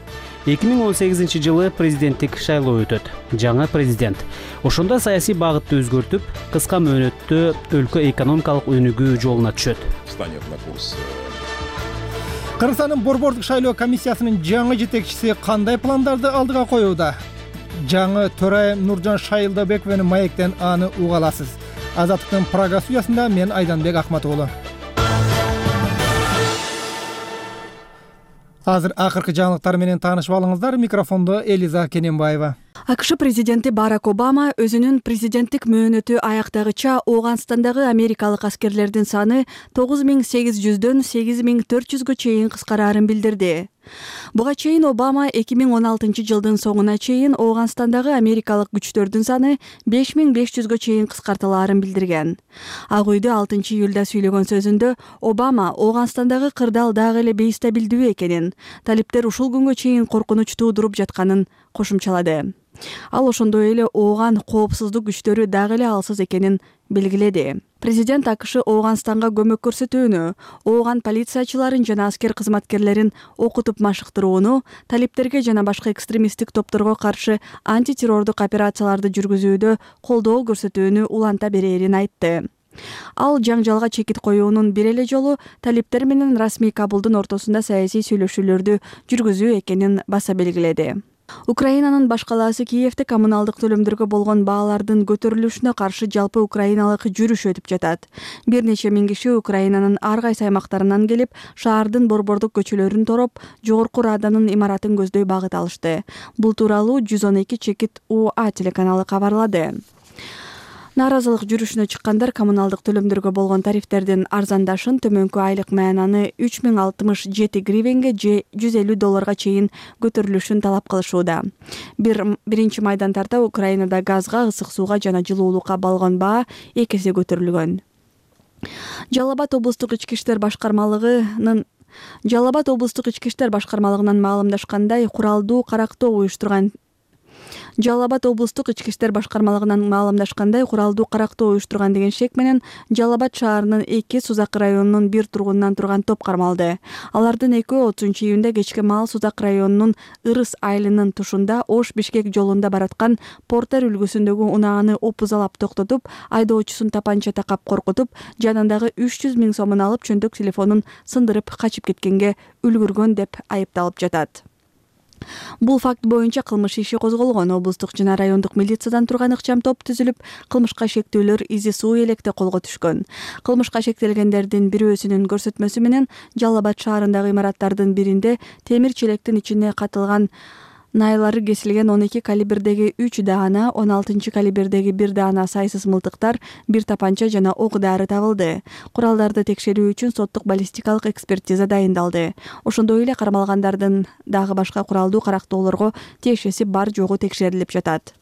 2018 жылы президенттик шайлоо өтөт. Жаңа президент. Ошондо саясий багытты өзгөртүп, кыска мөөнөттө өлкө экономикалык өнүгүү жолуна түшөт. Кыргызстандын борбордук шайлоо комиссиясынын жаңы жетекчиси кандай пландарды алдыга коюуда? Жаңы төрайым Нуржан Шайылдабековдун маектен аны уга аласыз. Азаттыктын Прага студиясында мен Айданбек Акматов уулу. Азыр акыркы жаңылыктар менен таанышып алыңыздар. Микрофондо Элиза Кененбаева. АКШ президенти Барак Обама өзүнүн президенттик мөөнөтү аяктагыча Ооганстандагы америкалык аскерлердин саны 9800дөн 8400гө чейин кыскараарын билдирди. Буга чейин Обама 2016 жылдын соңуна чейин Ооганстандагы америкалык күчтөрдүн саны 5500гө чейин кыскартылаарын билдирген. Ак үйдө 6 июлда сүйлөгөн сөзүндө Обама Ооганстандагы кырдаал дагы эле бейстабилдүү экенин, талиптер ушул күнгө чейин коркунуч туудуруп жатканын кошумчалады. Ал ошондой эле Ооган коопсуздук күчтөрү дагы эле алсыз экенин белгиледи. Президент АКШ Ооганстанга көмөк көрсөтүүнү, Ооган полициячыларын жана аскер кызматкерлерин окутуп машыктырууну, талиптерге жана башка экстремисттик топторго каршы антитеррордук операцияларды жүргүзүүдө колдоо көрсөтүүнү уланта берерин айтты. Ал жаңжалга чекит коюунун бир эле жолу талиптер менен расмий Кабулдун ортосунда саясий сүйлөшүүлөрдү жүргүзүү экенин баса белгиледи. Украинанын баш калаасы Киевде коммуналдык төлөмдөргө болгон баалардын көтөрүлүшүнө каршы жалпы украиналык жүрүш өтүп жатат. Бир нече миң киши Украинанын ар кайсы аймактарынан келип, шаардын борбордук көчөлөрүн тороп, Жогорку Раданын имаратын көздөй багыт алышты. Бул тууралуу 112 чекит УА телеканалы кабарлады. Нааразылык жүрүшүнө чыккандар коммуналдык төлөмдөргө болгон тарифтердин арзандашын, төмөнкү айлык маянаны 3067 гривенге же $150 чейин көтөрүлүшүн талап кылышууда. Биринчи майдан тарта Украинада газга, ысык сууга жана жылуулукка болгон баа 2 эсе көтөрүлгөн. Жалал Абад облустук ички иштер башкармалыгынын маалымдашкандай, куралдуу карактоо уюштурган Жалал Абад облустук ички иштер башкармалыгынан маалымдашкандай, куралдуу карактоо уюштурган деген шек менен Жалал Абад шаарынын 2 Сузак районунун 1 тургунунан турган топ кармалды. Алардын 30 июнда кечке маал Сузак районунун Ырыс айылынын тушунда Ош-Бишкек жолунда бараткан Портер үлгүсүндөгү унааны опузалап токтотуп, айдоочусун тапанча такап коркутуп, жанындагы 300 000 сомун алып, чөнтөк телефонун сындырып качып кеткенге үлгүргөн деп айыпталып жатат. Бул факт боюнча кылмыш иши козголгон. Облустук жана райондук милициядан турган ыкчам топ түзүлүп, кылмышка шектүүлөр изи суу электе колго түшкөн. Кылмышка шектелгендердин бирөөсүнүн көрсөтмөсү менен Жалал Абад шаарындагы имараттардын биринде темир челектин ичине катылган найлары кесилген 12 калибрдеги 3 даана, 16 калибрдеги 1 даана сайсыз мылтыктар, 1 тапанча жана ок дары табылды. Куралдарды текшерүү үчүн соттук баллистикалык экспертиза дайындалды. Ошондой эле кармалгандардын дагы башка куралдуу карактоолорго тиешеси бар жогу текшерилип жатат.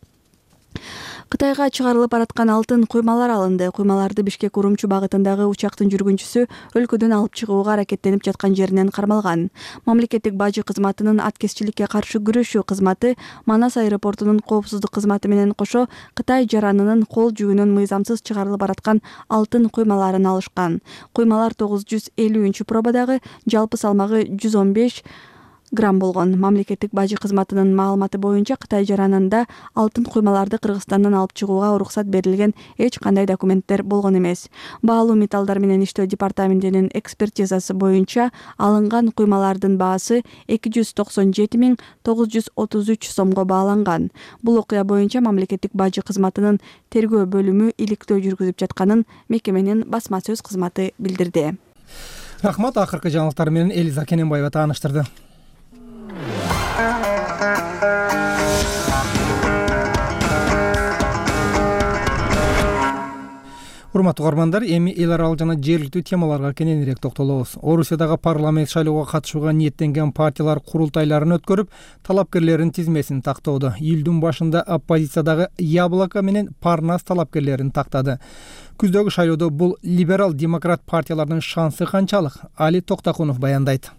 Кытайга чыгарылып бараткан алтын куймалар алынды. Куймаларды Бишкек Урумчу багытындагы учактын жүргүнчүсү өлкөдөн алып чыгууга аракеттенип жаткан жеринен кармалган. Мамлекеттик бажы кызматынын аткезчиликке каршы күрөшүү кызматы Манас аэропортунун коопсуздук кызматы менен кошо Кытай жаранынын кол жүгүнөн мыйзамсыз чыгарылып бараткан алтын куймаларын алышкан. Куймалар 950 пробадагы, жалпы салмагы 115 грамм болгон. Мамлекеттик бажы кызматынын маалыматы боюнча Кытай жаранында алтын куймаларды Кыргызстандан алып чыгууга уруксат берилген эч кандай документтер болгон эмес. Баалуу металлдар менен иштөө департаментинин экспертизасы боюнча алынган куймалардын баасы 297.933 сомго бааланган. Бул окуя боюнча мамлекеттик бажы кызматынын тергөө бөлүмү иликтөө жүргүзүп жатканын мекеменин басма сөз кызматы билдирди. Рахмат, акыркы жаңылыктар менен Элиза Кененбаева тааныштырды. Урматтуу угармандар, эми эл аралык жана жергиликтүү темаларга кененирээк токтолобуз. Орусиядагы парламент шайлоого катышууга ниеттенген партиялар курултайларын өткөрүп, талапкерлердин тизмесин тактоодо. Июлдун башында оппозициядагы Яблоко менен Парнас талапкерлерин тактады. Күздөгү шайлоодо бул либерал-демократ партиялардын шансы канчалык? Али Токтакунов баяндайт.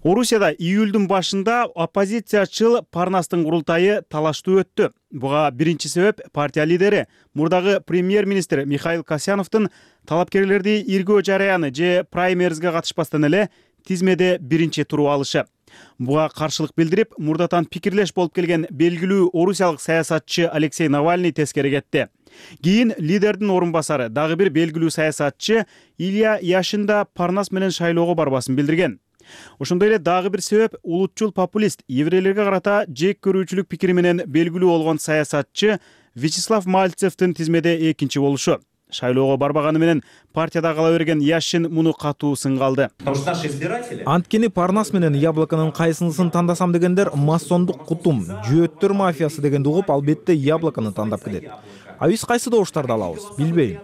Орусияда июлдун башында оппозициячыл Парнастын курултайы талаштуу өттү. Буга биринчи себеп партия лидери, мурдагы премьер-министр Михаил Касьяновдун талапкерлерди иргөө жараяны же праймеризге катышпастан эле тизмеде биринчи туруп алышы. Буга каршылык билдирип, мурдатан пикирлеш болуп келген белгилүү орусиялык саясатчы Алексей Навальный тескери кетти. Кийин лидердин орун басары, дагы бир белгилүү саясатчы Илья Яшин да Парнас менен шайлоого барбасын билдирген. Ошондой эле дагы бир себеп улутчул популист, еврейлерге карата жек көрүүчүлүк пикири менен белгилүү болгон саясатчы Вячеслав Мальцевдин тизмеде экинчи болушу. Шайлоого барбаганы менен партияда кала берген Яшин муну катуу сынга алды. Анткени Парнас менен Яблоконун кайсынысын тандасам дегендер массондук кутум, жөөттөр мафиясы дегенди угуп, албетте Яблокону тандап кетет. А биз кайсы добуштарды алабыз? Билбейм.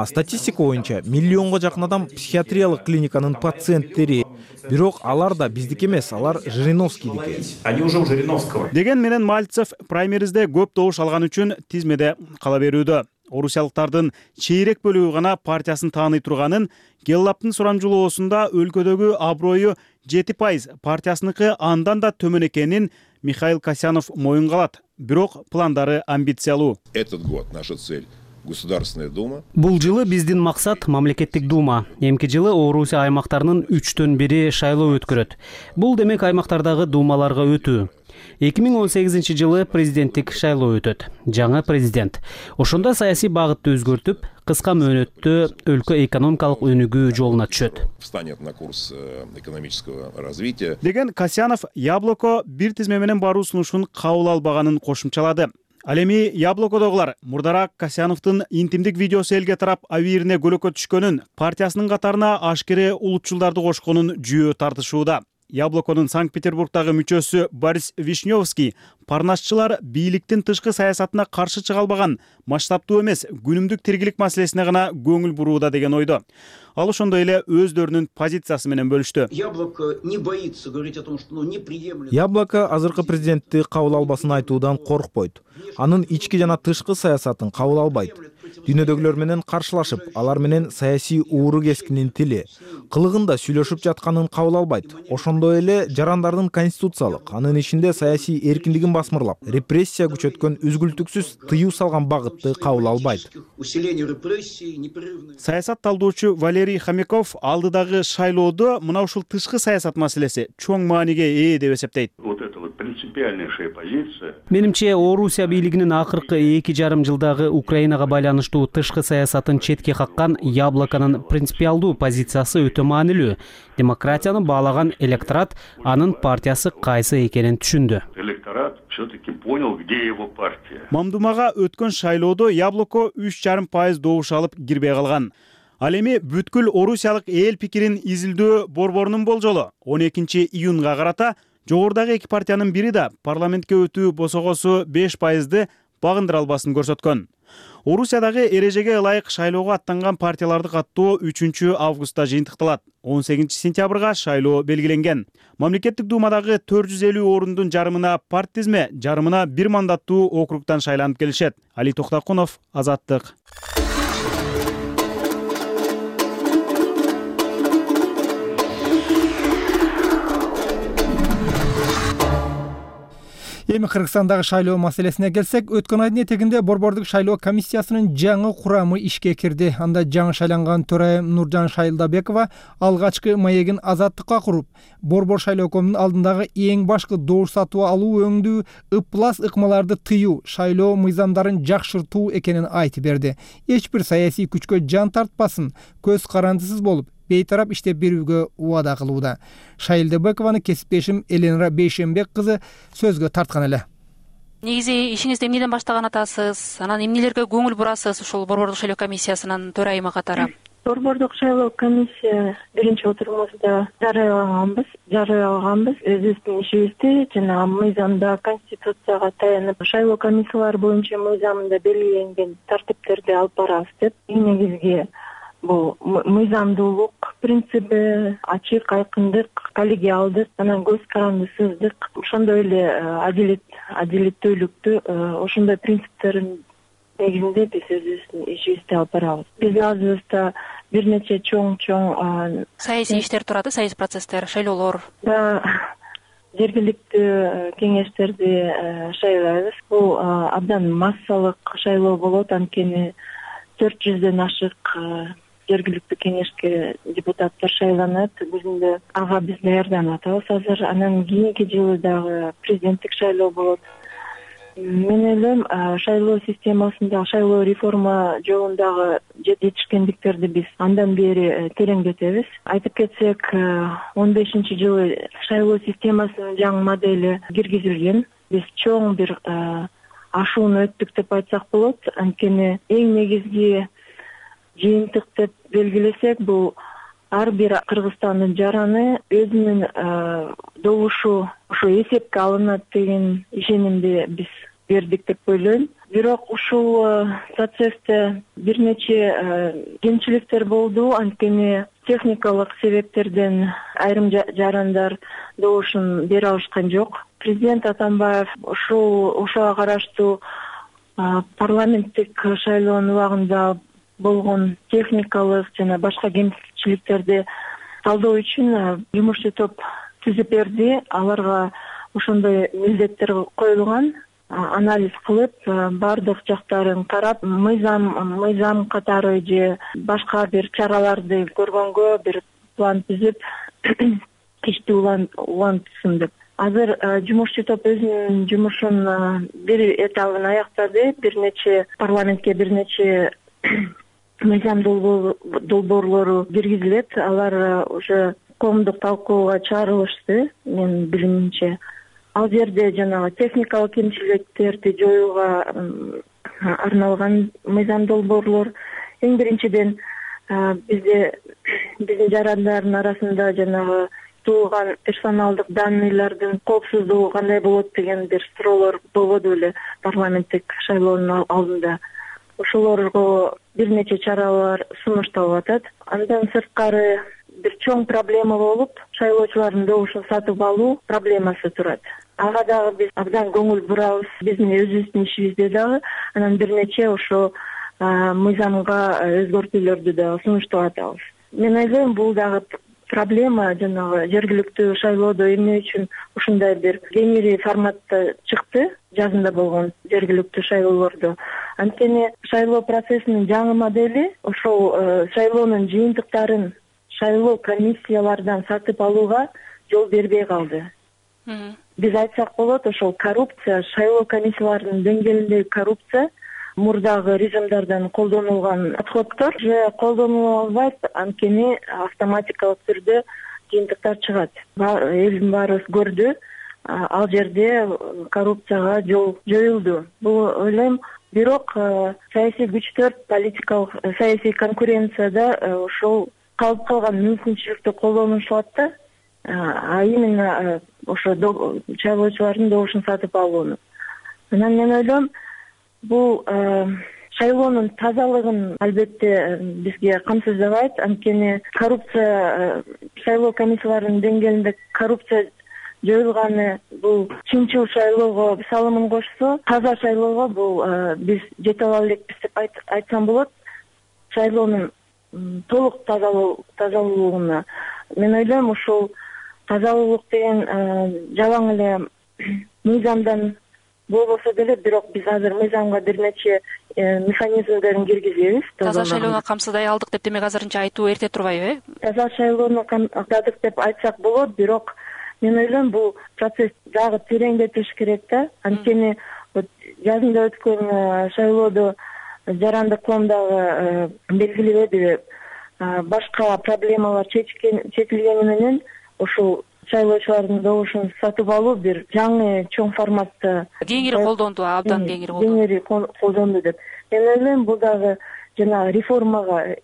Статистика боюнча миллионго жакын адам психиатриялык клиниканын пациенттери. Бирок алар да биздики эмес, алар Жириновскийдики. Они уже у Жириновского. Деген менен Мальцев праймеризде көп добуш алган үчүн тизмеде кала берүүдө. Орусиялыктардын чейрек бөлүгү гана партиясын тааный турганын, Геллаптын сурамжылоосунда өлкөдөгү аброю 7%, партиясыныкы андан да төмөн экенин Михаил Касьянов моюнга алат. Бирок пландары амбициялуу. Этот год наша цель Государственная дума. Бул жылы биздин максат мамлекеттик дума. Эмки жылы Орусия аймактарынын 1/3 шайлоо өткөрөт. Бул демек аймактардагы думаларга өтүү. 2018 жылы президенттик шайлоо өтөт. Жаңа президент. Ошондо саясий багытты өзгөртүп, кыска мөөнөттө өлкө экономикалык өнүгүү жолуна түшөт. Встанет на курс экономического развития. Деген Касьянов Яблоко бир тизме менен баруу сунушун кабыл албаганын кошумчалады. Ал эми Яблокодогулар мурдараак Касьяновдун интимдик видеосу элге тарап абийирине көлөкө түшкөнүн, партиясынын катарына ашкере улутчулдарды кошконун жүйө тартышууда. Яблоконун Санкт-Петербургдагы мүчөсү Борис Вишневский Парнасчылар бийликтин тышкы саясатына каршы чыга албаган, масштабтуу эмес, күнүмдүк тиргилик маселесине гана көңүл бурууда деген ойдо. Ал ошондой эле өздөрүнүн позициясы менен бөлүштү. Яблоко не боится говорить о том, что неприемлемо. Яблоко азыркы президентти кабыл албасын айтуудан коркпойт. Анын ички жана тышкы саясатын кабыл албайт. Дүйнөдөгүлөр менен каршылашып, алар менен саясий ууру кескинин тили, кылыгында сүйлөшүп жатканын кабыл албайт. Ошондой эле жарандардын конституциялык, анын ичинде саясий эркиндигин басмырлап, репрессия күчөткөн, үзгүлтүксүз тыюу салган багытты кабыл албайт. Саясат талдоочу Валерий Хомяков алдыдагы шайлоодо мына ушул тышкы саясат маселеси чоң мааниге ээ деп эсептейт. Вот это вот принципиальнейшая позиция. Менимче, Орусия бийлигинин акыркы 2,5 жылдагы Украинага байланыштуу тышкы саясатын четке каккан Яблоконун принципиалдуу позициясы өтө маанилүү. Демократияны баалаган электорат анын партиясы кайсы экенин түшүндү. Электорат все-таки понял, где его партия. Мамдумага өткөн шайлоодо Яблоко 3,5% добуш алып кирбей калган. Ал эми бүткүл орусиялык эл пикирин изилдөө борборунун болжолу 12 июнга карата жогорудагы эки партиянын бири да парламентке өтүү босогосу 5%ды багындыра албасын көрсөткөн. Орусиядагы эрежеге ылайык шайлоого аттанган партияларды каттоо 3 августта жыйынтыкталат. 18 сентябрга шайлоо белгиленген. Мамлекеттик думадагы 450 орундун жарымына партизме, жарымына бир мандаттуу округтан шайланып келишет. Али Токтакунов, Азаттык. Эми Кыргызстандагы шайлоо маселесине келсек, өткөн айдын этегинде Борбордук шайлоо комиссиясынын жаңы курамы ишке кирди. Анда жаңы шайланган төрайым Нуржан Шайылдабекова алгачкы маегин Азаттыкка куруп, Борбор шайлоокомунун алдындагы эң башкы добуш сатып алуу өңдүү ыплас ыкмаларды тыюу, шайлоо мыйзамдарын жакшыртуу экенин айтып берди. Эч бир саясий күчкө жан тартпасын, көз карандысыз болуп, бейтарап иштеп берүүгө убада кылууда. Шайылдабекованы кесиптешим Элена Бейшембек кызы сөзгө тарткан эле. Негизи ишиңизди эмнеден баштаган атасыз? Анан эмнелерге көңүл бурасыз ушул Борбордук шайлоо комиссиясынын төрайымы катары? Борбордук шайлоо комиссия биринчи отурумузда жарыялаганбыз өзүбүздүн ишибизди жана мыйзамда, конституцияга таянып шайлоо комиссиялары боюнча мыйзамында белгиленген тартиптерди алып барабыз деп. Эң негизги бул мыйзамдуулук принциби, ачык, айкындык, коллегиалдык, анан көз карандысыздык, ошондой эле адилеттүүлүктү ошондой принциптердин негизинде биз өзүбүздүн ишибизди алып барабыз. Биздин алдыбызда бир нече чоң саясий иштер турат, саясий процесстер, шайлоолор. Жергиликтүү кеңештерди шайлайбыз. Бул абдан массалык шайлоо болот, анткени 400дөн ашык жергиликтүү кеңешке депутаттар шайланат. Бүгүндө ага биз даярданып атабыз азыр. Анан кийинки жылы дагы президенттик шайлоо болот. Мен ойлойм, шайлоо системасында, шайлоо реформа жолундагы жетишкендиктерди биз андан бери тереңдетебиз. Айтып кетсек, 15-жылы шайлоо системасынын жаңы модели киргизилген. Биз чоң бир ашууну өттүк деп айтсак болот. Анткени эң негизги жыйынтык деп белгилесек, бул ар бир Кыргызстандын жараны өзүнүн добушу ошо эсепке алынат деген ишенимди биз бердик деп ойлойм. Бирок ушул процессте бир нече кемчиликтер болду, анткени техникалык себептерден айрым жарандар добушун бере алышкан жок. Президент Атамбаев ошого караштуу парламенттик шайлоонун убагында болгон техникалык жана башка кемчиликтерди талдоо үчүн жумушчу топ түзүп берди. Аларга ошондой милдеттер коюлган. Анализ кылып, бардык жактарын карап, мыйзам катары же башка бир чараларды көргөнгө бир план түзүп, ишти улантсын деп. Азыр жумушчу топ өзүнүн жумушун бир этабын аяктады. Парламентке бир нече мыйзам долбоорлору киргизилет. Алар уже коомдук талкууга чыгарылышты, менин билимимче. Ал жерде жанагы техникалык кемчиликтерди жоюуга арналган мыйзам долбоорлор. Эң биринчиден биздин жарандардын арасында жанагы туулган персоналдык данныйлардын коопсуздугу кандай болот деген бир суроолор болбоду беле парламенттик шайлоонун алдында. Ошолорго бир нече чаралар сунушталып атат. Андан сырткары бир чоң проблема болуп, шайлоочулардын добушун сатып алуу проблемасы турат. Ага дагы биз абдан көңүл бурабыз, биздин өзүбүздүн ишибизде дагы. Анан бир нече ошо мыйзамга өзгөртүүлөрдү да сунуштап атабыз. Мен ойлойм, бул дагы проблема жанагы жергиликтүү шайлоодо эмне үчүн ушундай бир кеңири форматта чыкты жазында болгон жергиликтүү шайлоолордо. Анткени шайлоо процессинин жаңы модели ошол шайлоонун жыйынтыктарын шайлоо комиссиялардан сатып алууга жол бербей калды. Биз айтсак болот, ошол коррупция, шайлоо комиссияларынын деңгээлиндеги коррупция мурдагы режимдардан колдонулган подходдор же колдонула албайт, анткени автоматикалык түрдө жыйынтыктар чыгат. Элдин баарыбыз көрдү, ал жерде коррупцияга жол жоюлду. Бул ойлойм, бирок саясий күчтөр политикалык саясий конкуренцияда ошол калып калган мүмкүнчүлүктү колдонушат да, а именно ошо шайлоочулардын добушун сатып алууну. Анан мен ойлойм, бул шайлоонун тазалыгын албетте бизге камсыздабайт. Анткени коррупция, шайлоо комиссияларынын деңгээлинде коррупция жоюлганы бул чынчыл шайлоого салымын кошсо, таза шайлоого бул биз жете ала элекпиз деп айтсам болот. Шайлоонун толук тазалуулугуна мен ойлойм, ушул тазалуулук деген жалаң эле мыйзамдан болбосо деле, бирок биз азыр мыйзамга бир нече механизмдерин киргизебиз. Таза шайлоону камсыздай алдык деп демек азырынча айтуу эрте турбайбы, Таза шайлоону камсыздадык деп айтсак болот, бирок мен ойлойм бул процесс дагы тереңдетилиш керек да. Анткени жазында өткөн шайлоодо жарандык коомдагы белгилебедиби, башка проблемалар чечилгени менен ушул шайлоочулардын добушун сатып алуу бир жаңы чоң форматта кеңири колдонду, абдан кеңири колдонду деп. Мен ойлойм, бул дагы жана реформага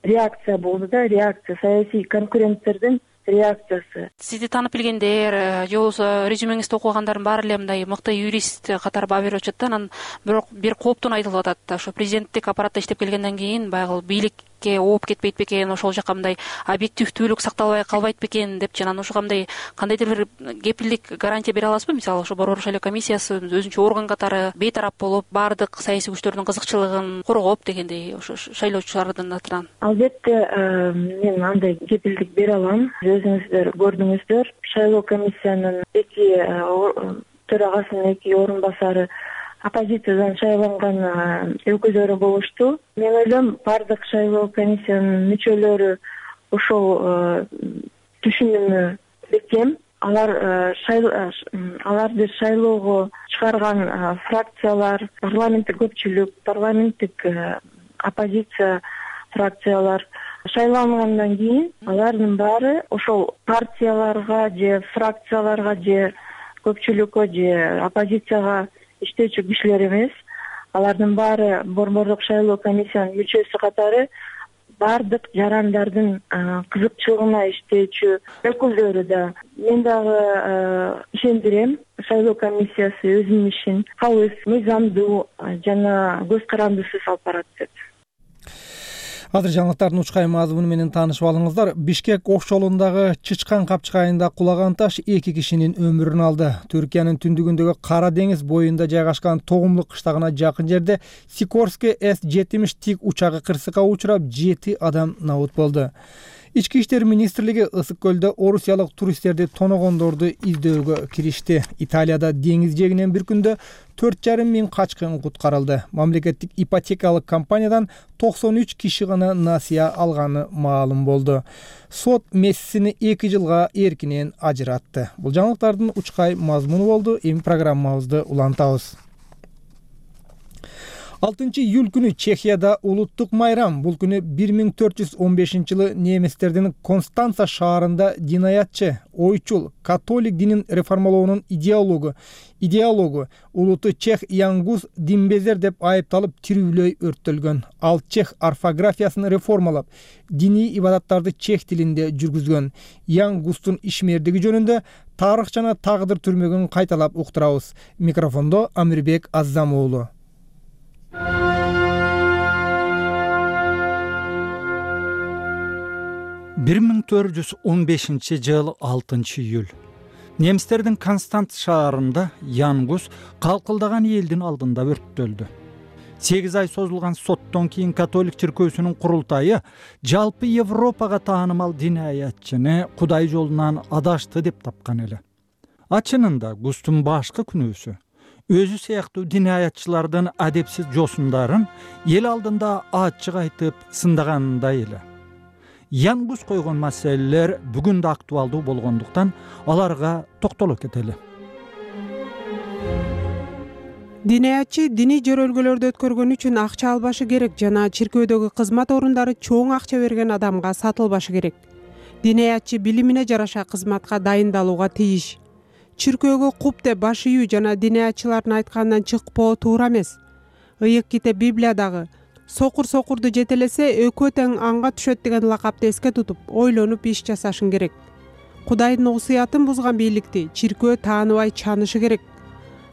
реакция болду да, реакция, саясий конкуренттердин реакциясы. Сизди таанып билгендер же болбосо резюмеңизди окугандардын баары эле мындай мыкты юрист катары баа берип атышат да. Анан бирок бир кооптун айтылып атат. Ошо президенттик аппаратта иштеп келгенден кийин баягы бийликке ооп кетпейт бекен, ошол жака мындай объективдүүлүк сакталбай калбайт бекен депчи. Анан ошо кандайдыр бир кепилдик гарантия бере аласызбы? Мисалы ошо Борбор шайлоо комиссиясы өзүнчө орган катары бейтарап болуп, баардык саясий күчтөрдүн кызыкчылыгын коргоп дегендей, ошо шайлоочулардын атынан. Албетте мен андай кепилдик бере алам. Өзүңүздөр көрдүңүздөр, шайлоо комиссиянын төрагасынын 2 орун басары оппозициядан шайланган өкүлдөрү болушту. Мен ойлойм, бардык шайлоо комиссиянын мүчөлөрү ошол түшүнүмү бекем. Аларды шайлоого чыгарган фракциялар, парламенттик көпчүлүк, парламенттик оппозиция фракциялар шайлангандан кийин алардын баары ошол партияларга же фракцияларга же көпчүлүккө же оппозицияга иштөөчү кишилер эмес. Алардын баары борбордук шайлоо комиссиянын мүчөсү катары бардык жарандардын кызыкчылыгына иштөөчү өкүлдөрү да. Мен дагы ишендирем, шайлоо комиссиясы өзүнүн ишин калыс, мыйзамдуу жана көз карандысыз алып барат деп. Азыр жаңылыктардын учкай мазмуну менен таанышып алыңыздар. Бишкек офшорундағы Чычкан капчыгайында кулаган таш 2 кишинин өмүрүн алды. Түркиянын түндүгүндөгү Кара деңиз боюнда жайгашкан Тогумлук кыштагына жакын жерде Сикорский С-70 тик учагы кырсыкка учурап 7 адам набут болду. Ички иштер министрлиги Ысык көлдө орусиялык туристтерди тоногондорду издөөгө киришти. Италияда деңиз жээгинен бир күндө 4,5 миң качкын куткарылды. Мамлекеттик ипотекалык компаниядан 93 киши гана насыя алганы маалым болду. Сот Мессини 2 жылга эркинен ажыратты. Бул жаңылыктардын учкай мазмуну болду. Эми программабызды улантабыз. 6-июль күнү Чехияда улуттук майрам. Бул күнү 1415-жылы немистердин Констанца шаарында динаятчы, ойчул, католик динин реформалоонун идеологу улуттуу чех Ян Гус динбезер деп айыпталып тирүүлөй өрттөлгөн. Ал чех орфографиясын реформалап, диний ибадаттарды чех тилинде жүргүзгөн. Ян Густун ишмердиги жөнүндө тарых жана тагдыр түрмөгүн кайталап уктурабыз. Микрофондо Амирбек Аззам уулу. 1415-жыл 6-июль. Немистердин Констанц шаарында Ян Гус калкылдаган элдин алдында өрттөлдү. 8 ай созулган соттон кийин католик чиркөөсүнүн курултайы жалпы Европага таанымал динаятчыны Кудай жолунан адашты деп тапкан эле. Ачынында Густун башкы күнөөсү өзү сыяктуу динаятчылардын адепсиз жосундарын эл алдында ачык айтып сындаганындай эле. Ян Гус койгон маселелер бүгүн да актуалдуу болгондуктан аларга токтоло кетели. Динаятчы диний жөрөлгөлөрдү өткөргөн үчүн акча албашы керек жана чиркөөдөгү кызмат орундары чоң акча берген адамга сатылбашы керек. Динаятчы билимине жараша кызматка дайындалууга тийиш. Чиркөөгө куп деп баш ийүү жана динаятчылардын айтканынан чыкпоо туура эмес. Ыйык китеп Библиядагы сокур сокурду жетелесе экөө тең анга түшөт деген лакапты эске тутуп, ойлонуп иш жасашың керек. Кудайдын осуятын бузган бийликти чиркөө тааныбай чанышы керек.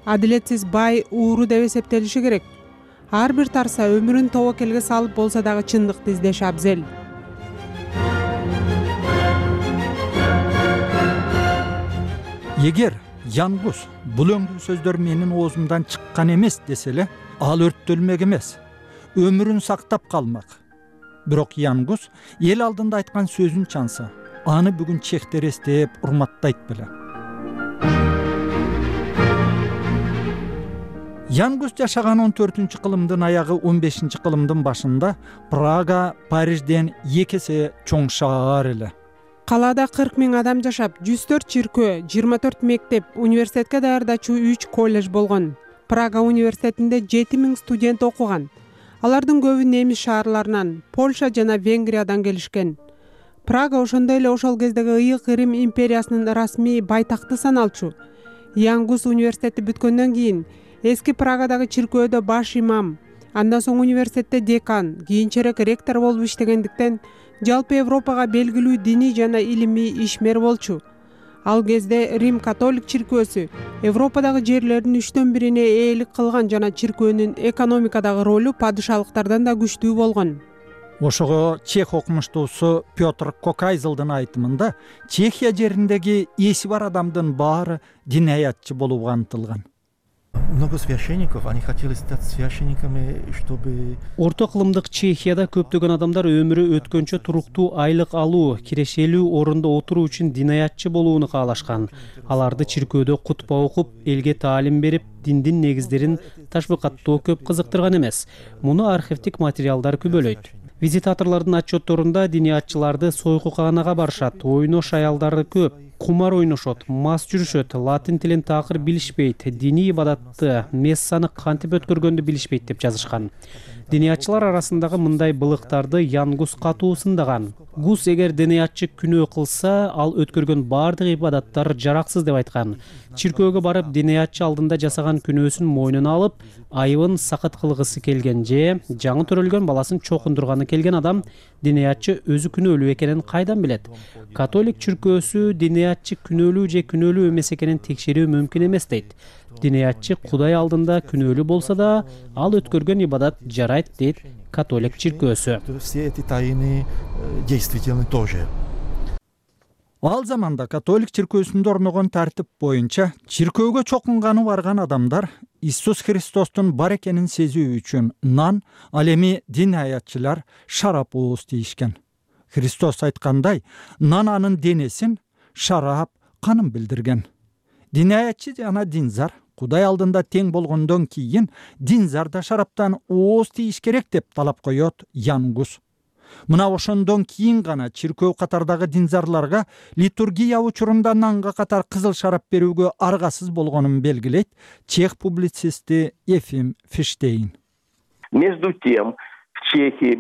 Адилетсиз бай ууру деп эсептелиши керек. ар бир тарса өмүрүн тобокелге салып болсо дагы чындыкты издеш абзел. Эгер Янгус бул өңдүү сөздөр менин оозумдан чыккан эмес десе эле, ал өрттөлмек эмес, өмүрүн сактап калмак. Бирок Янгус эл алдында айткан сөзүн чанса, аны бүгүн чехтер эстеп урматтайт беле. Янгус жашаган 14-кылымдын аягы 15-кылымдын башында Прага Парижден 2 эсе чоң шаар эле. Калаада 40 000 адам жашап, 104 чиркөө, 24 мектеп, университетке даярдачу 3 колледж болгон. Прага университетинде 7 000 студент окуган. Алардын көбү немис шаарларынан, Польша жана Венгриядан келишкен. Прага ошондой эле ошол кездеги ыйык Рим империясынын расмий байтакты саналчу. Янгус университети бүткөндөн кийин эски Прагадагы чиркөөдө баш имам, андан соң университетте декан, кийинчерээк ректор болуп иштегендиктен жалпы Европага белгилүү диний жана илимий ишмер болчу. Ал кезде Рим католик чиркөөсү Европадагы жерлердин 1/3-ине ээлик кылган жана чиркөөнүн экономикадагы ролу падышалыктардан да күчтүү болгон. Ошого чех окумуштуусу Петр Кокайзылдын айтымында Чехия жериндеги эси бар адамдын баары динаятчы болууга антылган. Много священников, они хотели стать священниками, чтобы... Орто кылымдык Чехияда көптөгөн адамдар өмүрү өткөнчө туруктуу айлык алуу, кирешелүү орунда отуруу үчүн динаятчы болууну каалашкан. Аларды чиркөөдө кутба окуп, элге таалим берип, диндин негиздерин ташбыкаттоо көп кызыктырган эмес. Муну архивдик материалдар күбөлөйт. Визитаторлордун отчетторунда диниятчыларды сойкуканага барышат, ойнош аялдары көп, кумар ойношот, мас жүрүшөт, латын тилин такыр билишпейт, диний ибадатты, мессаны кантип өткөргөндү билишпейт деп жазышкан. Диниятчылар арасындагы мындай былыктарды Янгус катуу сындаган. Гус эгер диниятчы күнөө кылса, ал өткөргөн бардык ибадаттар жараксыз деп айткан. Чиркөөгө барып диниятчы алдында жасаган күнөөсүн мойнуна алып, айыбын сакыт кылгысы келген же жаңы төрөлгөн баласын чокундурганы келген адам диниятчы өзү күнөөлүү экенин кайдан билет? Католик чиркөөсү диниятчы күнөөлүү же күнөөлүү эмес экенин текшерүү мүмкүн эмес дейт. Диниятчы Кудай алдында күнөөлүү болсо да, ал өткөргөн ибадат жарайт дейт католик чиркөөсү. Все эти тайны действительны тоже. Ал заманда католик чиркөөсүндө орногон тартип боюнча чиркөөгө чокунганы барган адамдар Иисус Христостун бар экенин сезүү үчүн нан, ал эми динаятчылар шарап ооз тийишкен. Христос айткандай, нан анын денесин, шарап канын билдирген. Динаятчы жана динзар Кудай алдында тең болгондон кийин динзар да шараптан ооз тийиш керек деп талап коёт Янгус. Мына ошондон кийин гана чиркөө катардагы динзарларга литургия учурунда нанга катар кызыл шарап берүүгө аргасыз болгонун белгилейт чех публицисти Ефим Фиштейн. Между тем, в Чехии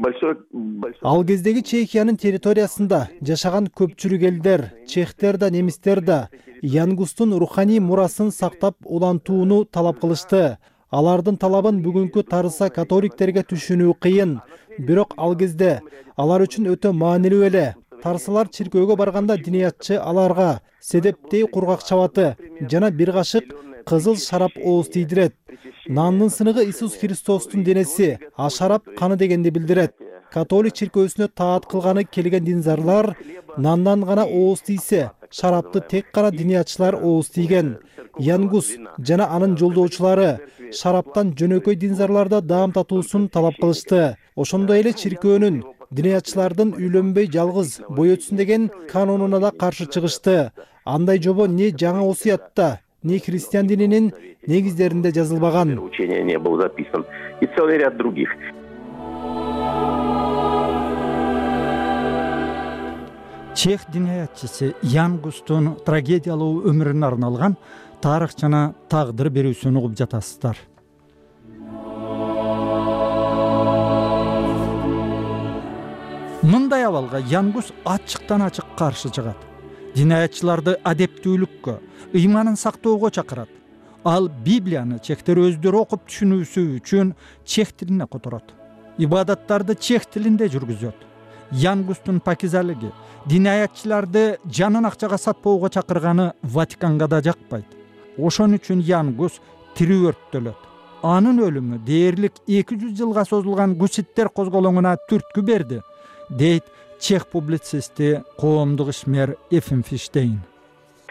Ал кездеги Чехиянын территориясында жашаган көпчүлүк элдер, чехтер да, немистер да Янгустун руханий мурасын сактап улантууну талап кылышты. Алардын талабын бүгүнкү тарыса католиктерге түшүнүү кыйын. Бирок ал кезде алар үчүн өтө маанилүү эле. Тарсалар чиркөөгө барганда диниятчы аларга седептей кургак чабаты жана бир кашык кызыл шарап ооз тийдирет. Нандын сыныгы Иисус Христостун денеси, а шарап каны дегенди билдирет. Католик чиркөөсүнө таат кылганы келген динзарлар нандан гана ооз тийсе, шарапты тек гана диниятчылар ооз тийген. Янгус жана анын жолдоочулары шараптан жөнөкөй динзарларда даам татуусун талап кылышты. Ошондой эле чиркөөнүн диниятчылардын үйлөнбөй жалгыз бой өтсүн деген канонуна да каршы чыгышты. Андай жобо не жаңы осуятта, не христиан дининин негиздеринде жазылбаган. Учение не был записан. И целый ряд других. Чех динаятчысы Янгустун трагедиялуу өмүрүнө арналган тарых жана тагдыр берүүсүн угуп жатасыздар. Мындай абалга Янгус ачыктан ачык каршы чыгат. Динаятчыларды адептүүлүккө, ыйманын сактоого чакырат. Ал Библияны чехтер өздөрү окуп түшүнүүсү үчүн чех тилине которот. Ибадаттарды чех тилинде жүргүзөт. Янгустун пакизалыгы динаятчыларды жанын акчага сатпоого чакырганы Ватиканга да жакпайт. Ошон үчүн Янгус тирүү өрттөлөт. анын өлүмү дээрлик 200 жылга созулган гуситтер козголоңуна түрткү берди, дейт чех публицисти, коомдук ишмер Эфим Фиштейн.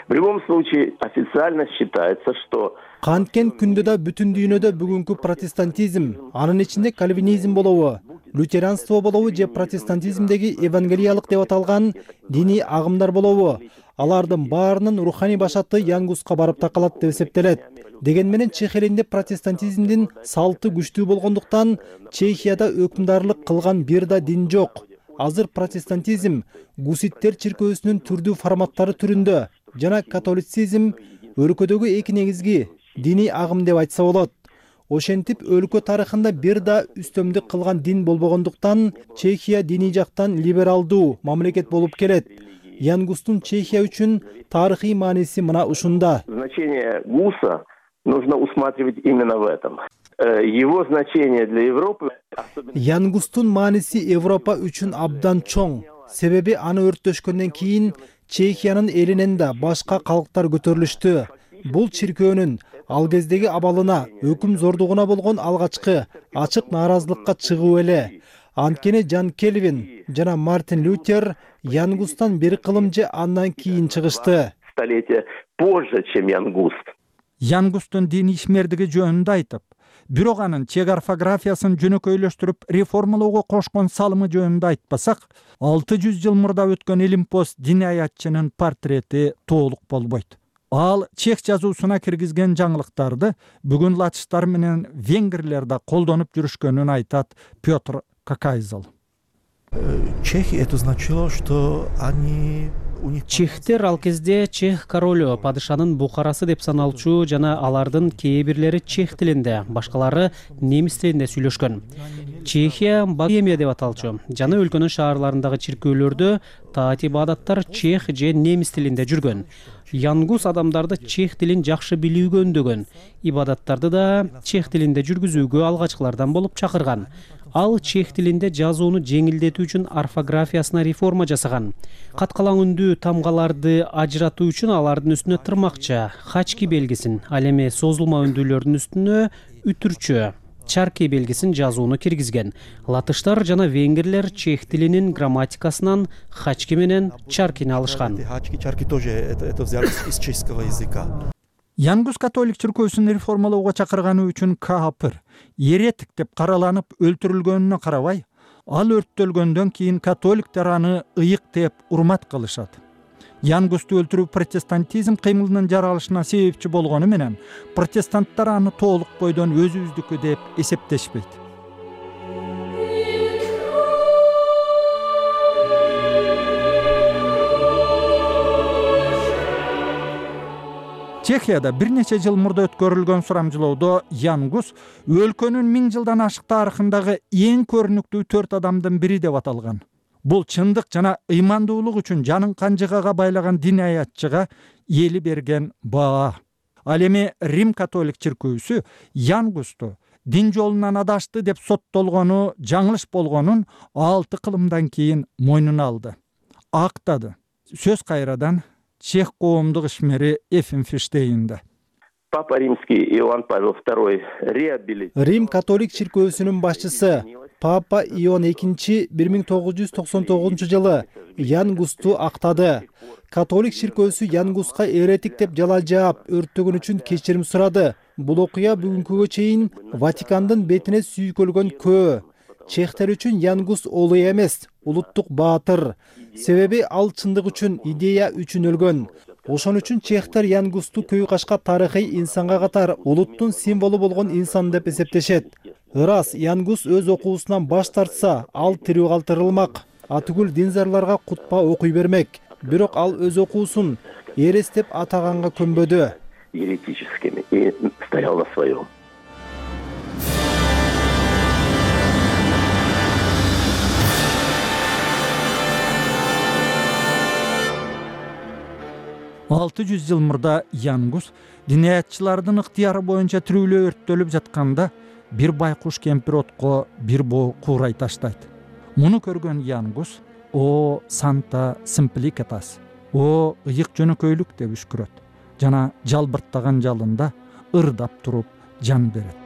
В любом случае официально считается, что канткен күндө да бүтүн дүйнөдө бүгүнкү протестантизм, анын ичинде кальвинизм болобу, лютеранство болобу же протестантизмдеги евангелиялык деп аталган диний агымдар болобу, алардын баарынын руханий башаты Янгуска барып такалат деп эсептелет. Деген менен Чех элинде протестантизмдин салты күчтүү болгондуктан Чехияда өкүмдарлык кылган бир да дин жок. Азыр протестантизм гуситтер чиркөөсүнүн түрдүү форматтары түрүндө жана католицизм өлкөдөгү эки негизги диний агым деп айтса болот. Ошентип өлкө тарыхында бир да үстөмдүк кылган дин болбогондуктан Чехия диний жактан либералдуу мамлекет болуп келет. Янгустун Чехия үчүн тарыхый мааниси мына ушунда. Значение ГУСа нужно усматривать именно в этом. Его значение для Европы... Янгустун мааниси Европа үчүн абдан чоң. Себеби аны өрттөшкөндөн кийин Чехиянын элинен да башка калктар көтөрүлүштү. Бул чиркөөнүн ал кездеги абалына, өкүм зордугуна болгон алгачкы ачык нааразылыкка чыгуу эле. Анткени Жан Кельвин жана Мартин Лютер Янгустан бир кылым же андан кийин чыгышты. Столетие позже, чем Янгуст. Янгустун диний ишмердиги жөнүндө айтып, бирок анын чех орфографиясын жөнөкөйлөштүрүп реформалоого кошкон салымы жөнүндө айтпасак, 600 жыл мурда өткөн илимпоз динаятчынын портрети толук болбойт. Ал чех жазуусуна киргизген жаңылыктарды бүгүн латыштар менен венгрлер да колдонуп жүрүшкөнүн айтат Петр Какайзал. Чехи это значило, что они Чехтер ал кезде чех королу, падышанын букарасы деп саналчу жана алардын кээ бирлери чех тилинде, башкалары немис тилинде сүйлөшкөн. Чехия Богемия деп аталчу. Жана өлкөнүн шаарларындагы чиркөөлөрдө таат ибадаттар чех же немис тилинде жүргөн. Янгус адамдарды чех тилин жакшы билүүгө үндөгөн, ибадаттарды да чех тилинде жүргүзүүгө алгачкылардан болуп чакырган. Ал чех тилинде жазууну жеңилдетүү үчүн орфографиясына реформа жасаган. Каткалаң үндүү тамгаларды ажыратуу үчүн алардын үстүнө тырмакча, хачки белгисин, ал эми созулма үндүүлөрдүн үстүнө үтүрчү, чарки белгисин жазууну киргизген. Латыштар жана венгрлер чех тилинин грамматикасынан хачки менен чаркини алышкан. Чарки тоже это взяли из чешского языка. Янгус католик чиркөөсүн реформалоого чакырганы үчүн каапыр, еретик деп караланып өлтүрүлгөнүнө карабай, ал өрттөлгөндөн кийин католиктер аны ыйык деп урмат кылышат. Янгусту өлтүрүү протестантизм кыймылынын жаралышына себепчи болгону менен протестанттар аны толук бойдон өзүбүздүкү деп эсептешпейт. Чехияда бир нече жыл мурда өткөрүлгөн сурамжылоодо Янгус өлкөнүн 1000 жылдан ашык тарыхындагы эң көрүнүктүү 4 адамдын бири деп аталган. Бул чындык жана ыймандуулук үчүн жанын канжыгага байлаган динаятчыга эли берген баа. Ал эми Рим католик чиркөөсү Янгусту дин жолунан адашты деп соттолгону жаңылыш болгонун 6 кылымдан кийин мойнуна алды. Актады. Сөз кайрадан чех коомдук ишмери Эфим Фиштейнде. Папа Римский Иоанн Павел II реабилитировал. Рим католик чиркөөсүнүн башчысы Папа Иоанн II 1999 жылы Янгусту актады. Католик чиркөөсү Янгуска эретик деп жалал жаап, өрттөгөн үчүн кечирим сурады. Бул окуя бүгүнкүгө чейин Ватикандын бетине сүйкөлгөн көө. Чехтер үчүн Янгус улуу эмес, улуттук баатыр. Себеби ал чындык үчүн, идея үчүн өлгөн. Ошон үчүн чехтер Янгусту көй кашка тарыхый инсанга катар улуттун символу болгон инсан деп эсептешет. Ырас Янгус өз окуусунан баш тартса, ал тирүү калтырылмак. Атүгүл динзарларга кутпа окуй бермек. Бирок ал өз окуусун эрес деп атаганга көнбөдү. Еретическими и стоял на своем. Алты 600 жыл мурда Янгус динаятчылардын ыктыяры боюнча тирүүлөө өрттөлүп жатканда бир байкуш кемпир отко бир боо куурай таштайт. Муну көргөн Янгус "О Санта Симпликатас, о ыйык жөнөкөйлүк" деп үшкүрөт жана жалбырттаган жалында ырдап туруп жан берет.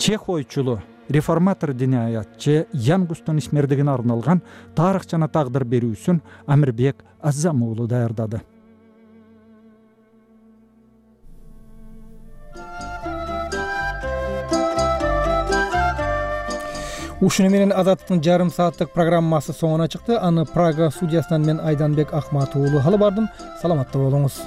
чех ойчулу реформатор диний аятчы Ян Густун исмердигине арналган тарых жана тагдыр берүүсүн Амирбек Аззам уулу даярдады. Ушуну менен Азаттыктын жарым сааттык программасы соңуна чыкты. Аны Прага студиясынан мен Айданбек Ахматов уулу алып бардым. Саламатта болуңуз.